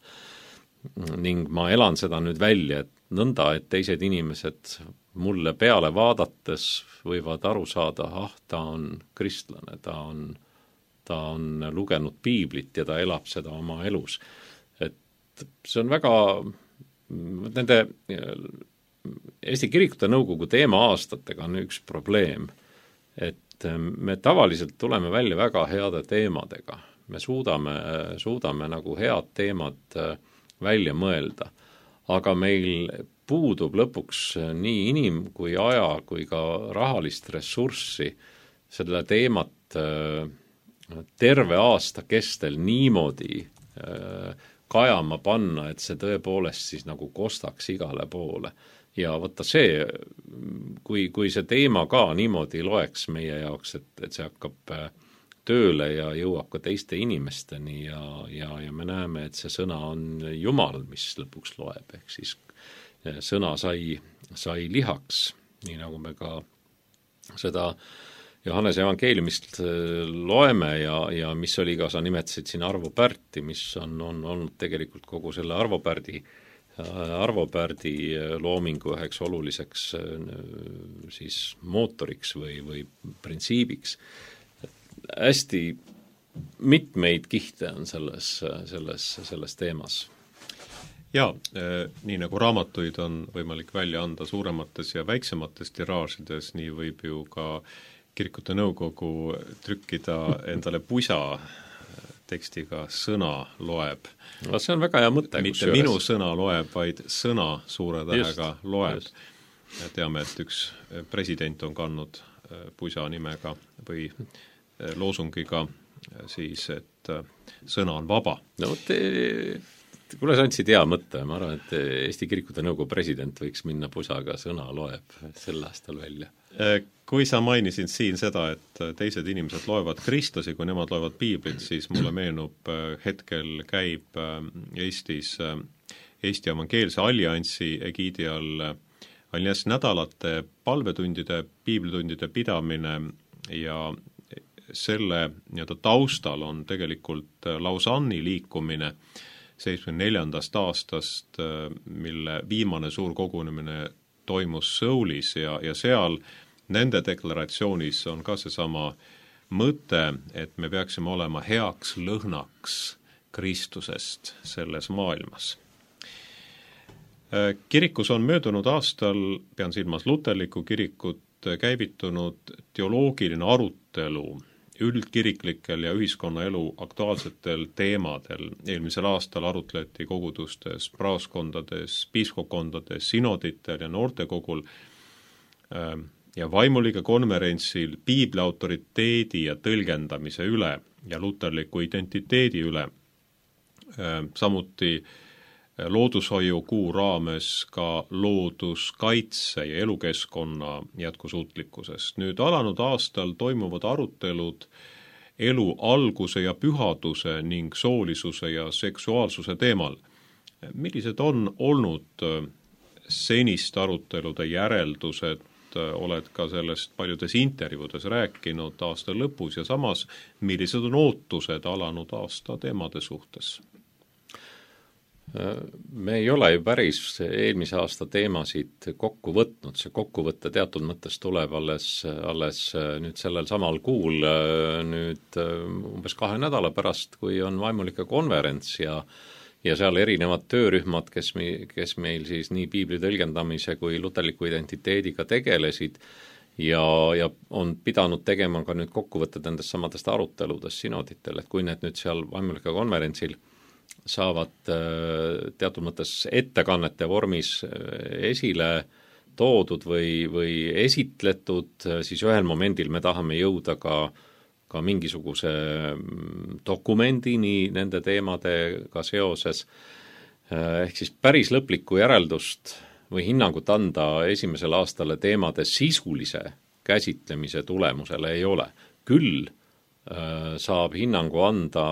ning ma elan seda nüüd välja, et nõnda, et teised inimesed mulle peale vaadates võivad aru saada, ah, ta on kristlane, ta on, ta on lugenud piiblit ja ta elab seda oma elus. Et see on väga, nende Eesti Kirikute Nõukogu teema aastatega on üks probleem, et me tavaliselt tuleme välja väga heade teemadega. Me suudame, suudame nagu head teemad välja mõelda, aga meil puudub lõpuks nii inim- kui aja kui ka rahalist ressurssi selle teemat terve aasta kestel niimoodi kajama panna, et see tõepoolest siis nagu kostaks igale poole. Ja võtta see, kui, kui see teema ka niimoodi loeks meie jaoks, et, et see hakkab tööle ja jõuab ka teiste inimesteni ja, ja, ja me näeme, et see sõna on Jumal, mis lõpuks loeb, ehk siis sõna sai, sai lihaks, nii nagu me ka seda Johannese evangeeliumist loeme ja, ja mis oli ka, sa nimetasid siin Arvo Pärti, mis on, on olnud tegelikult kogu selle Arvo Pärdi Arvo Pärdi loomingu üheks oluliseks siis mootoriks või, või printsiibiks. Hästi mitmeid kihte on selles, selles, selles teemas. Jaa, nii nagu raamatuid on võimalik välja anda suuremates ja väiksemates tiraažides, nii võib ju ka kirikute nõukogu trükkida endale pusa tekstiga sõna loeb. No, see on väga hea mõte. Mitte minu ühes... sõna loeb, vaid sõna suure tähega just, loeb. Just. Teame, et üks president on kandnud pusa nimega või loosungiga siis, et sõna on vaba. No te... Kuule, sa andsid hea mõtte, ma arvan, et Eesti Kirikute Nõukogu president võiks minna pusaga sõna loeb sel aastal välja. Kui sa mainisid siin seda, et teised inimesed loevad kristlasi, kui nemad loevad piiblit, siis mulle meenub, hetkel käib Eestis Eesti Evangeelse Alliansi egiidi all Alliansi nädalate palvetundide, piiblitundide pidamine ja selle nii-öelda taustal on tegelikult Lausanne'i liikumine seitsmekümne neljandast aastast, mille viimane suur kogunemine toimus Soulis ja, ja seal nende deklaratsioonis on ka seesama mõte, et me peaksime olema heaks lõhnaks Kristusest selles maailmas. Kirikus on möödunud aastal, pean silmas luterlikku kirikut, käivitunud teoloogiline arutelu üldkiriklikel ja ühiskonnaelu aktuaalsetel teemadel. Eelmisel aastal arutleti kogudustes, praaskondades, piiskopkondades, sinoditel ja noortekogul ja vaimuliige konverentsil piibli autoriteedi ja tõlgendamise üle ja luterliku identiteedi üle. Samuti loodushoiu kuu raames ka looduskaitse ja elukeskkonna jätkusuutlikkusest. Nüüd alanud aastal toimuvad arutelud elu alguse ja pühaduse ning soolisuse ja seksuaalsuse teemal. Millised on olnud senist arutelude järeldused, oled ka sellest paljudes intervjuudes rääkinud aasta lõpus ja samas, millised on ootused alanud aasta teemade suhtes? Me ei ole ju päris eelmise aasta teemasid kokku võtnud, see kokkuvõtte teatud mõttes tuleb alles, alles nüüd sellel samal kuul, nüüd umbes kahe nädala pärast, kui on vaimulike konverents ja ja seal erinevad töörühmad, kes, me, kes meil siis nii piibli tõlgendamise kui luterliku identiteediga tegelesid ja, ja on pidanud tegema ka nüüd kokkuvõtted nendest samadest aruteludest sinoditel, et kui need nüüd seal vaimulike konverentsil saavad teatud mõttes ettekannete vormis esile toodud või, või esitletud, siis ühel momendil me tahame jõuda ka, ka mingisuguse dokumendini nende teemadega seoses. Ehk siis päris lõplikku järeldust või hinnangut anda esimesel aastale teemade sisulise käsitlemise tulemusele ei ole. Küll saab hinnangu anda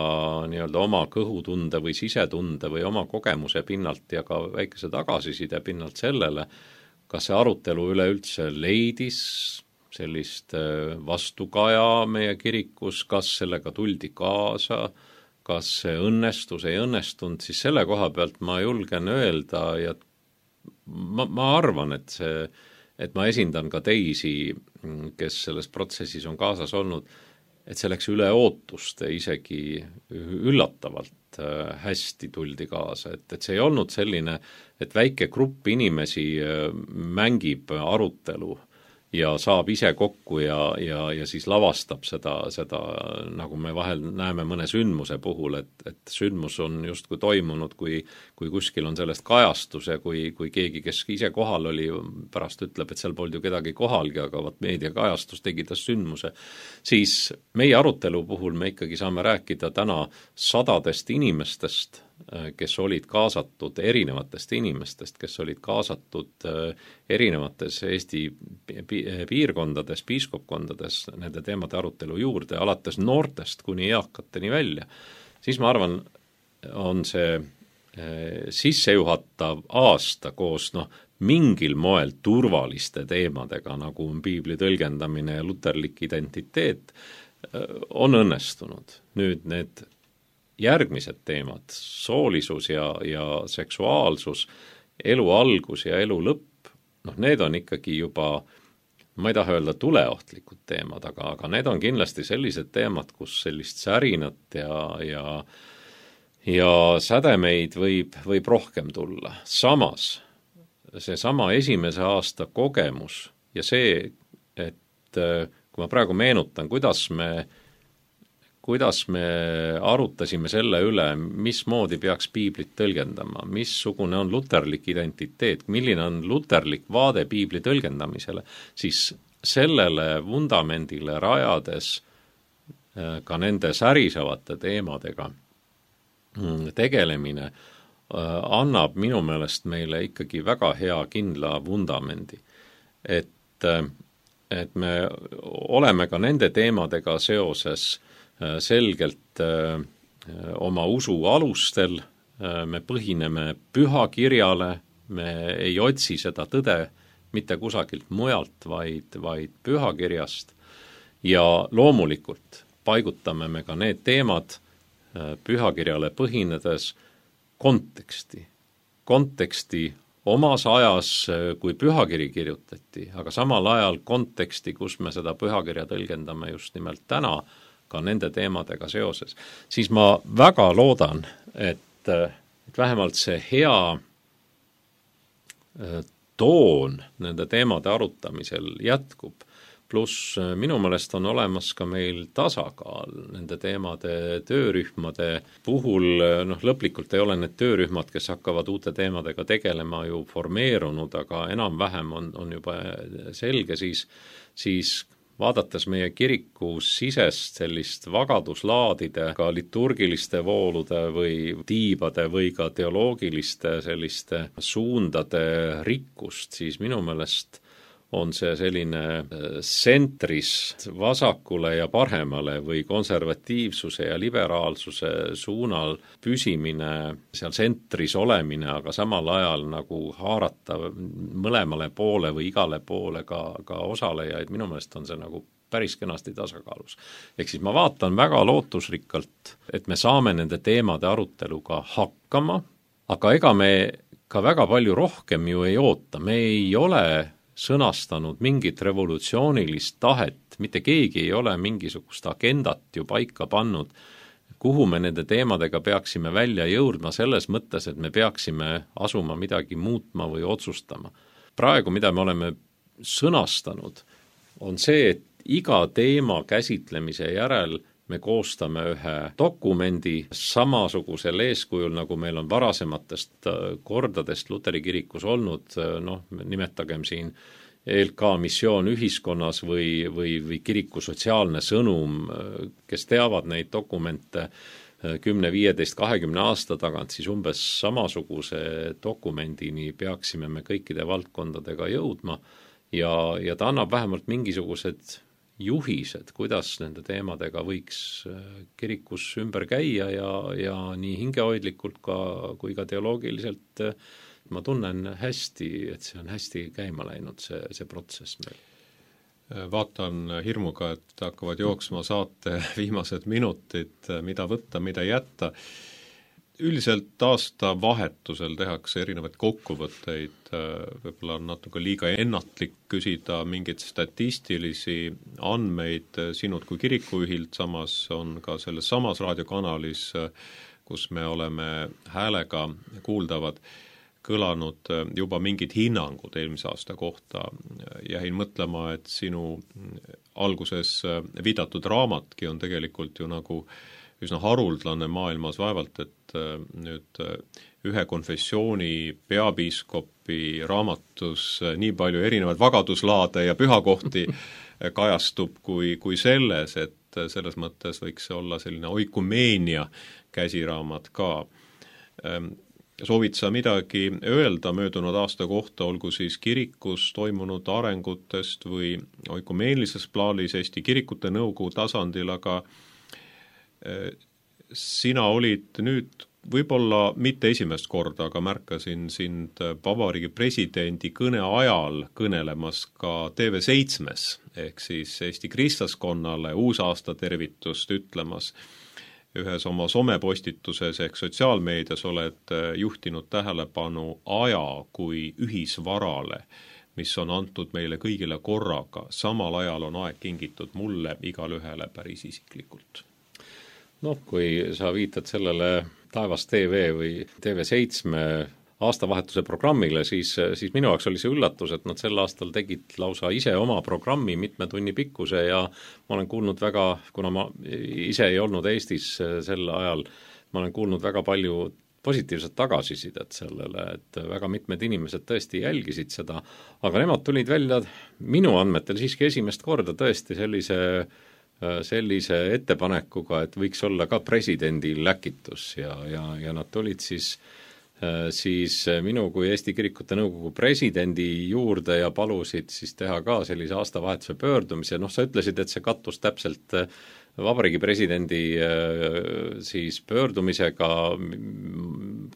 nii-öelda oma kõhutunde või sisetunde või oma kogemuse pinnalt ja ka väikese tagasiside pinnalt sellele, kas see arutelu üleüldse leidis sellist vastukaja meie kirikus, kas sellega tuldi kaasa, kas see õnnestus, ei õnnestunud, siis selle koha pealt ma julgen öelda ja ma, ma arvan, et see, et ma esindan ka teisi, kes selles protsessis on kaasas olnud, et see läks üle ootuste isegi üllatavalt hästi tuldi kaasa, et, et see ei olnud selline, et väike grupp inimesi mängib arutelu ja saab ise kokku ja, ja, ja siis lavastab seda, seda, nagu me vahel näeme mõne sündmuse puhul, et, et sündmus on justkui toimunud, kui, kui kuskil on sellest kajastus ja kui, kui keegi, kes ise kohal oli, pärast ütleb, et seal polnud ju kedagi kohalgi, aga vaat meediakajastus tegi ta sündmuse, siis meie arutelu puhul me ikkagi saame rääkida täna sadadest inimestest, kes olid kaasatud, erinevatest inimestest, kes olid kaasatud erinevates Eesti piirkondades, piiskopkondades nende teemade arutelu juurde, alates noortest kuni eakateni välja, siis ma arvan, on see sissejuhatav aasta koos noh, mingil moel turvaliste teemadega, nagu on piibli tõlgendamine ja luterlik identiteet, on õnnestunud. Nüüd need järgmised teemad, soolisus ja, ja seksuaalsus, elu algus ja elu lõpp, noh, need on ikkagi juba, ma ei taha öelda tuleohtlikud teemad, aga, aga need on kindlasti sellised teemad, kus sellist särinat ja, ja, ja sädemeid võib, võib rohkem tulla. Samas, see sama esimese aasta kogemus ja see, et kui ma praegu meenutan, kuidas me kuidas me arutasime selle üle, mismoodi peaks piiblit tõlgendama, missugune on luterlik identiteet, milline on luterlik vaade piibli tõlgendamisele, siis sellele vundamendile rajades ka nende särisevate teemadega tegelemine annab minu meelest meile ikkagi väga hea kindla vundamendi. Et, et me oleme ka nende teemadega seoses selgelt öö, oma usu alustel, me põhineme pühakirjale, me ei otsi seda tõde mitte kusagilt mujalt, vaid, vaid pühakirjast ja loomulikult paigutame me ka need teemad pühakirjale põhinedes konteksti. Konteksti omas ajas, kui pühakiri kirjutati, aga samal ajal konteksti, kus me seda pühakirja tõlgendame just nimelt täna, ka nende teemadega seoses, siis ma väga loodan, et, et vähemalt see hea toon nende teemade arutamisel jätkub, pluss minu meelest on olemas ka meil tasakaal nende teemade töörühmade puhul, noh lõplikult ei ole need töörühmad, kes hakkavad uute teemadega tegelema ju formeerunud, aga enam-vähem on, on juba selge, siis, siis vaadates meie kiriku sisest sellist vagaduslaadide, ka liturgiliste voolude või tiibade või ka teoloogiliste selliste suundade rikkust, siis minu meelest on see selline sentris vasakule ja paremale või konservatiivsuse ja liberaalsuse suunal püsimine, seal sentris olemine, aga samal ajal nagu haarata mõlemale poole või igale poole ka, ka osalejaid, minu meelest on see nagu päris kenasti tasakaalus. Ehk siis ma vaatan väga lootusrikkalt, et me saame nende teemade aruteluga hakkama, aga ega me ka väga palju rohkem ju ei oota, me ei ole sõnastanud mingit revolutsioonilist tahet, mitte keegi ei ole mingisugust agendat ju paika pannud, kuhu me nende teemadega peaksime välja jõudma selles mõttes, et me peaksime asuma midagi muutma või otsustama. Praegu, mida me oleme sõnastanud, on see, et iga teema käsitlemise järel me koostame ühe dokumendi samasugusel eeskujul, nagu meil on varasematest kordadest Luteri kirikus olnud, noh, nimetagem siin E L K missioon ühiskonnas või, või, või kiriku sotsiaalne sõnum, kes teavad neid dokumente kümne, viieteist, kahekümne aasta tagant, siis umbes samasuguse dokumendini peaksime me kõikide valdkondadega jõudma ja, ja ta annab vähemalt mingisugused juhised, kuidas nende teemadega võiks kirikus ümber käia ja, ja nii hingehoidlikult ka, kui ka teoloogiliselt ma tunnen hästi, et see on hästi käima läinud, see, see protsess meil. Vaatan hirmuga, et hakkavad jooksma saate viimased minutid, mida võtta, mida jätta. Üldiselt aasta vahetusel tehakse erinevaid kokkuvõtteid, võib-olla on natuke liiga ennatlik küsida mingeid statistilisi andmeid sinult kui kirikujuhilt, samas on ka selles samas raadiokanalis, kus me oleme häälega kuuldavad, kõlanud juba mingid hinnangud eelmise aasta kohta. Jäin mõtlema, et sinu alguses viidatud raamatki on tegelikult ju nagu üsna haruldlane maailmas, vaevalt, et nüüd ühe konfessiooni peapiiskopi raamatus nii palju erinevaid vagaduslaade ja pühakohti kajastub kui, kui selles, et selles mõttes võiks see olla selline oikumeenia käsiraamat ka. Soovid sa midagi öelda möödunud aasta kohta, olgu siis kirikus toimunud arengutest või oikumeelises plaanis Eesti kirikute nõukogu tasandil, aga sina olid nüüd võib-olla mitte esimest korda, aga märkasin sind vabariigi presidendi kõne ajal kõnelemas ka T V seitsmes ehk siis Eesti kristlaskonnale uusaasta tervitust ütlemas. ühes oma somepostituses ehk sotsiaalmeedias oled juhtinud tähelepanu aja kui ühisvarale, mis on antud meile kõigile korraga. Samal ajal on aeg kingitud mulle igal ühele päris isiklikult. Noh, kui sa viitad sellele Taevas T V või T V seitsme aastavahetuse programmile, siis, siis minu jaoks oli see üllatus, et nad sel aastal tegid lausa ise oma programmi mitme tunni pikkuse ja ma olen kuulnud väga, kuna ma ise ei olnud Eestis sel ajal, ma olen kuulnud väga palju positiivset tagasisidet sellele, et väga mitmed inimesed tõesti jälgisid seda, aga nemad tulid välja minu andmetel siiski esimest korda tõesti sellise, sellise ettepanekuga, et võiks olla ka presidendil läkitus ja, ja, ja nad tulid siis siis minu kui Eesti Kirikute Nõukogu presidendi juurde ja palusid siis teha ka sellise aastavahetuse pöördumise. Noh, sa ütlesid, et see kattus täpselt vabariigi presidendi siis pöördumisega.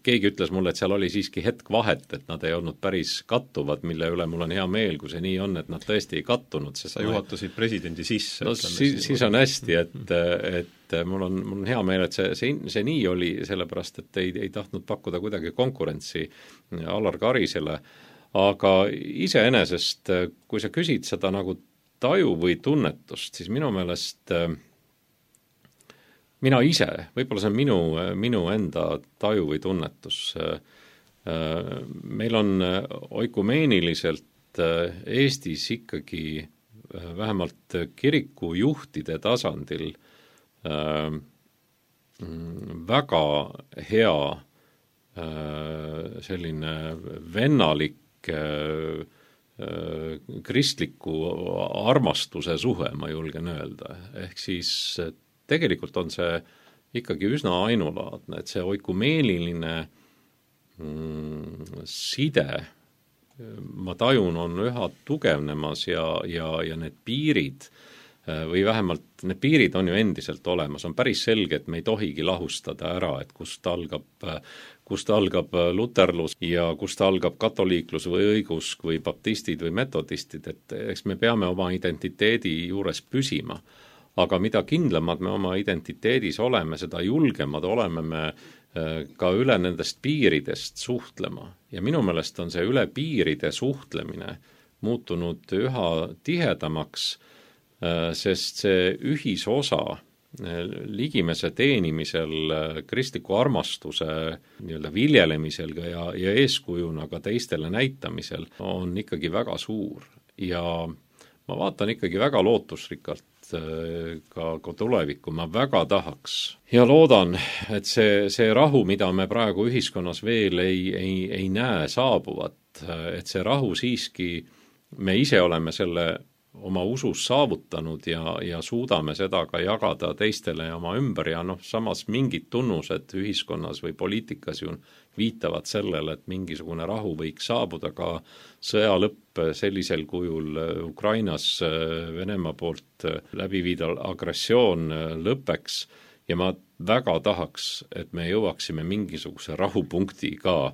Keegi ütles mulle, et seal oli siiski hetk vahet, et nad ei olnud päris kattuvad, mille üle mul on hea meel, kui see nii on, et nad tõesti ei kattunud. Sa juhatasid presidendi sisse. No, siis, siis on hästi, et, et mul on, mul on hea meel, et see, see, see nii oli, sellepärast, et ei, ei tahtnud pakkuda kuidagi konkurentsi Alar Karisele, aga iseenesest, kui sa küsid seda nagu taju või tunnetust, siis minu meelest mina ise, võib-olla see on minu, minu enda taju või tunnetus. Meil on oikumeeniliselt Eestis ikkagi vähemalt kirikujuhtide tasandil väga hea selline vennalik kristliku armastuse suhe, ma julgen öelda. Ehk siis tegelikult on see ikkagi üsna ainulaadne, et see oikumeeniline mm, side, ma tajun, on üha tugevnemas ja, ja, ja need piirid või vähemalt need piirid on ju endiselt olemas, on päris selge, et me ei tohigi lahustada ära, et kust algab, kust algab luterlus ja kust algab katoliiklus või õigusk või baptistid või metodistid, et eks me peame oma identiteedi juures püsima. Aga mida kindlamad me oma identiteedis oleme, seda julgemad oleme me ka üle nendest piiridest suhtlema. Ja minu meelest on see üle piiride suhtlemine muutunud üha tihedamaks, sest see ühisosa ligimese teenimisel, kristliku armastuse nii-öelda viljelemisel ja, ja eeskujuna ka teistele näitamisel on ikkagi väga suur. Ja ma vaatan ikkagi väga lootusrikkalt ka, ka tulevikku, ma väga tahaks ja loodan, et see, see rahu, mida me praegu ühiskonnas veel ei, ei, ei näe saabuvat, et see rahu siiski, me ise oleme selle oma usus saavutanud ja, ja suudame seda ka jagada teistele ja oma ümber ja noh, samas mingid tunnused ühiskonnas või poliitikas ju viitavad sellele, et mingisugune rahu võiks saabuda, ka sõja lõpp sellisel kujul Ukrainas Venemaa poolt läbiviidav agressioon lõpeks ja ma väga tahaks, et me jõuaksime mingisuguse rahupunkti ka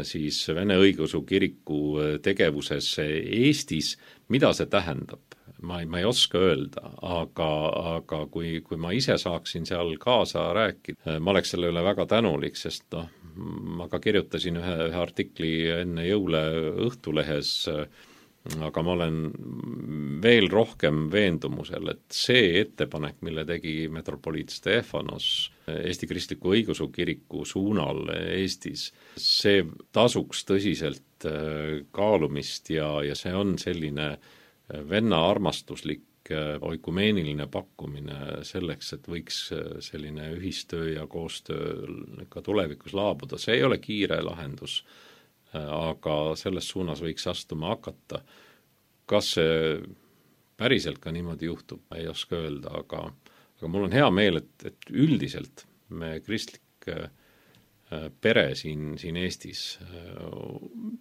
siis Vene Õigeusu Kiriku tegevuses Eestis, mida see tähendab? Ma ei, ma ei oska öelda, aga, aga kui, kui ma ise saaksin seal kaasa rääkida, ma oleks selle üle väga tänulik, sest noh, ma ka kirjutasin ühe, ühe artikli enne jõule Õhtulehes, aga ma olen veel rohkem veendumusel, et see ettepanek, mille tegi metropoliit Stefanos Eesti Kristliku Õigeusu Kiriku suunal Eestis, see tasuks tõsiselt kaalumist ja, ja see on selline venna armastuslik oikumeeniline pakkumine selleks, et võiks selline ühistöö ja koostöö ka tulevikus laabuda. See ei ole kiire lahendus, aga selles suunas võiks astuma hakata. Kas see päriselt ka niimoodi juhtub, ei oska öelda, aga, aga mul on hea meel, et, et üldiselt me kristlik pere siin, siin Eestis,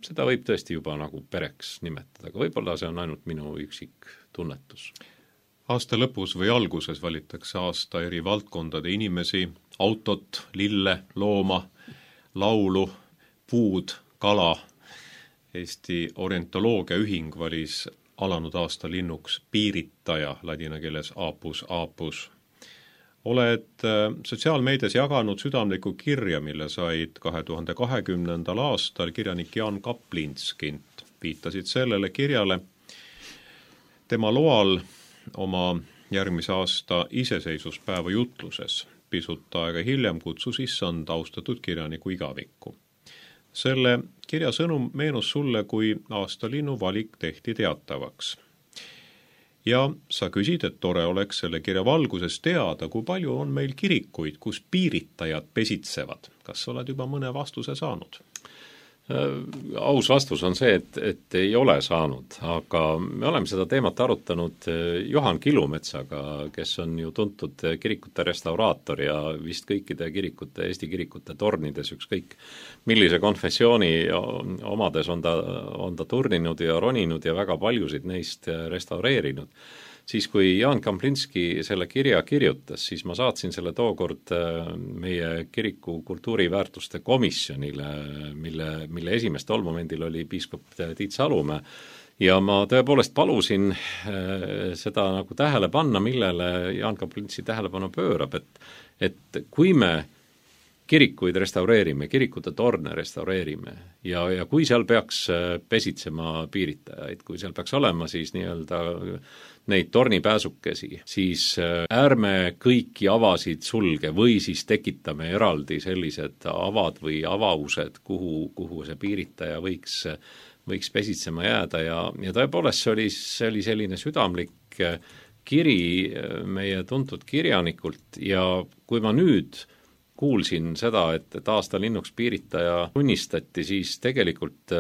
seda võib tõesti juba nagu pereks nimetada, aga võib-olla see on ainult minu üksik tunnetus. Aasta lõpus või alguses valitakse aasta eri valdkondade inimesi, autot, lille, looma, laulu, puud, kala. Eesti orientoloogia ühing valis alanud aasta linnuks piiritaja, ladina keeles apus apus. oled sotsiaalmeedias jaganud südamlikku kirja, mille said kahe tuhande kahekümnendal aastal kirjanik Jaan Kaplinskilt. Viitasid sellele kirjale tema loal oma järgmise aasta iseseisvuspäeva jutluses. Pisut aega hiljem kutsus issand austatud kirjaniku igavikku. Selle kirja sõnum meenus sulle, kui aastalinnu valik tehti teatavaks. Ja sa küsid, et tore oleks selle kirja valguses teada, kui palju on meil kirikuid, kus piiritajad pesitsevad. Kas oled juba mõne vastuse saanud? Aus vastus on see, et, et ei ole saanud, aga me oleme seda teemat arutanud Juhan Kilumetsaga, kes on ju tuntud kirikute restauraator ja vist kõikide kirikute, Eesti kirikute tornides ükskõik millise konfessiooni omades on ta, on ta turninud ja roninud ja väga paljusid neist restaureerinud. Siis kui Jaan Kaplinski selle kirja kirjutas, siis ma saatsin selle tookord meie kiriku kultuuriväärtuste komisjonile, mille, mille esimest tolmomendil oli piiskop Tiit Salumäe, ja ma tõepoolest palusin seda nagu tähele panna, millele Jaan Kaplinski tähelepanu pöörab, et, et kui me kirikuid restaureerime, kirikute torne restaureerime ja, ja kui seal peaks pesitsema piiritajaid, kui seal peaks olema siis nii-öelda neid tornipääsukesi, siis ärme kõiki avasid sulge või siis tekitame eraldi sellised avad või avaused, kuhu, kuhu see piiritaja võiks, võiks pesitsema jääda ja, ja tõepoolest see oli, see oli selline südamlik kiri meie tuntud kirjanikult ja kui ma nüüd kuulsin seda, et, et aastalinnuks piiritaja tunnistati, siis tegelikult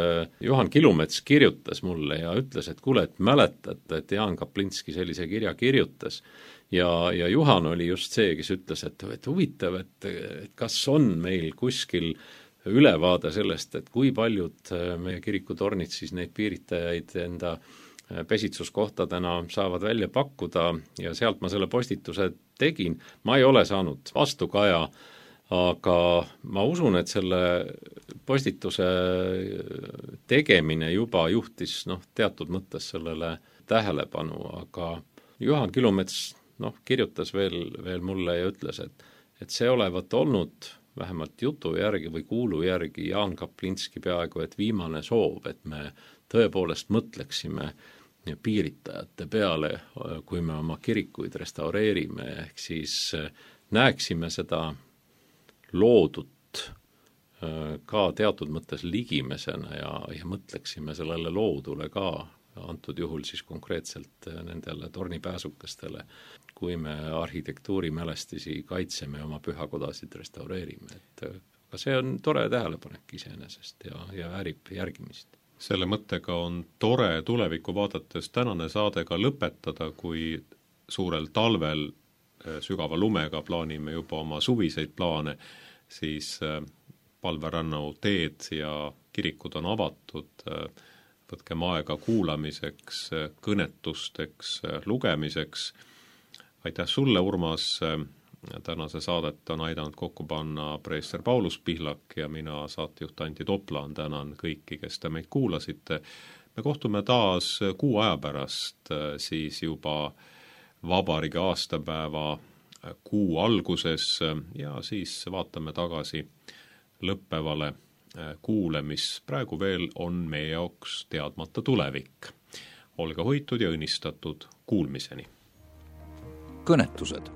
Juhan Kilumets kirjutas mulle ja ütles, et kuule, et mäletad, et Jaan Kaplinski sellise kirja kirjutas. Ja, ja Juhan oli just see, kes ütles, et, et huvitav, et, et kas on meil kuskil ülevaade sellest, et kui paljud meie kirikutornid siis neid piiritajaid enda pesitsuskohtadena saavad välja pakkuda ja sealt ma selle postituse tegin. Ma ei ole saanud vastukaja, aga ma usun, et selle postituse tegemine juba juhtis noh, teatud mõttes sellele tähelepanu, aga Juhan Kilumets noh, kirjutas veel, veel mulle ja ütles, et, et see olevat olnud vähemalt jutu järgi või kuulu järgi Jaan Kaplinski peaaegu, et viimane soov, et me tõepoolest mõtleksime piiritajate peale, kui me oma kirikuid restaureerime, ehk siis näeksime seda loodut ka teatud mõttes ligimesena ja, ja mõtleksime sellele loodule ka, antud juhul siis konkreetselt nendele tornipääsukestele, kui me arhitektuurimälestisi kaitseme, oma pühakodasid restaureerime. Et, aga see on tore tähelepanek iseenesest ja, ja väärib järgimist. Selle mõttega on tore tulevikku vaadates tänane saade ka lõpetada, kui suurel talvel sügava lumega plaanime juba oma suviseid plaane, siis Palverannu teed ja kirikud on avatud, võtkem aega kuulamiseks, kõnetusteks, lugemiseks. Aitäh sulle, Urmas, tänase saadet on aidanud kokku panna preester Paulus Pihlak ja mina, saatejuht Anti Toplaan, tänan kõiki, kes te meid kuulasite. Me kohtume taas kuu aja pärast, siis juba vabariigi aastapäeva kuu alguses ja siis vaatame tagasi lõppevale kuule, mis praegu veel on meie jaoks teadmata tulevik. Olge hoitud ja õnnistatud kuulmiseni. Kõnetused.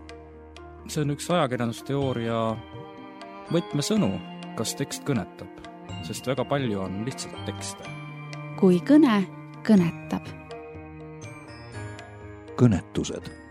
See on üks ajakirjandusteooria võtmesõnu, kas tekst kõnetab, sest väga palju on lihtsalt tekste. Kui kõne kõnetab. Kõnetused.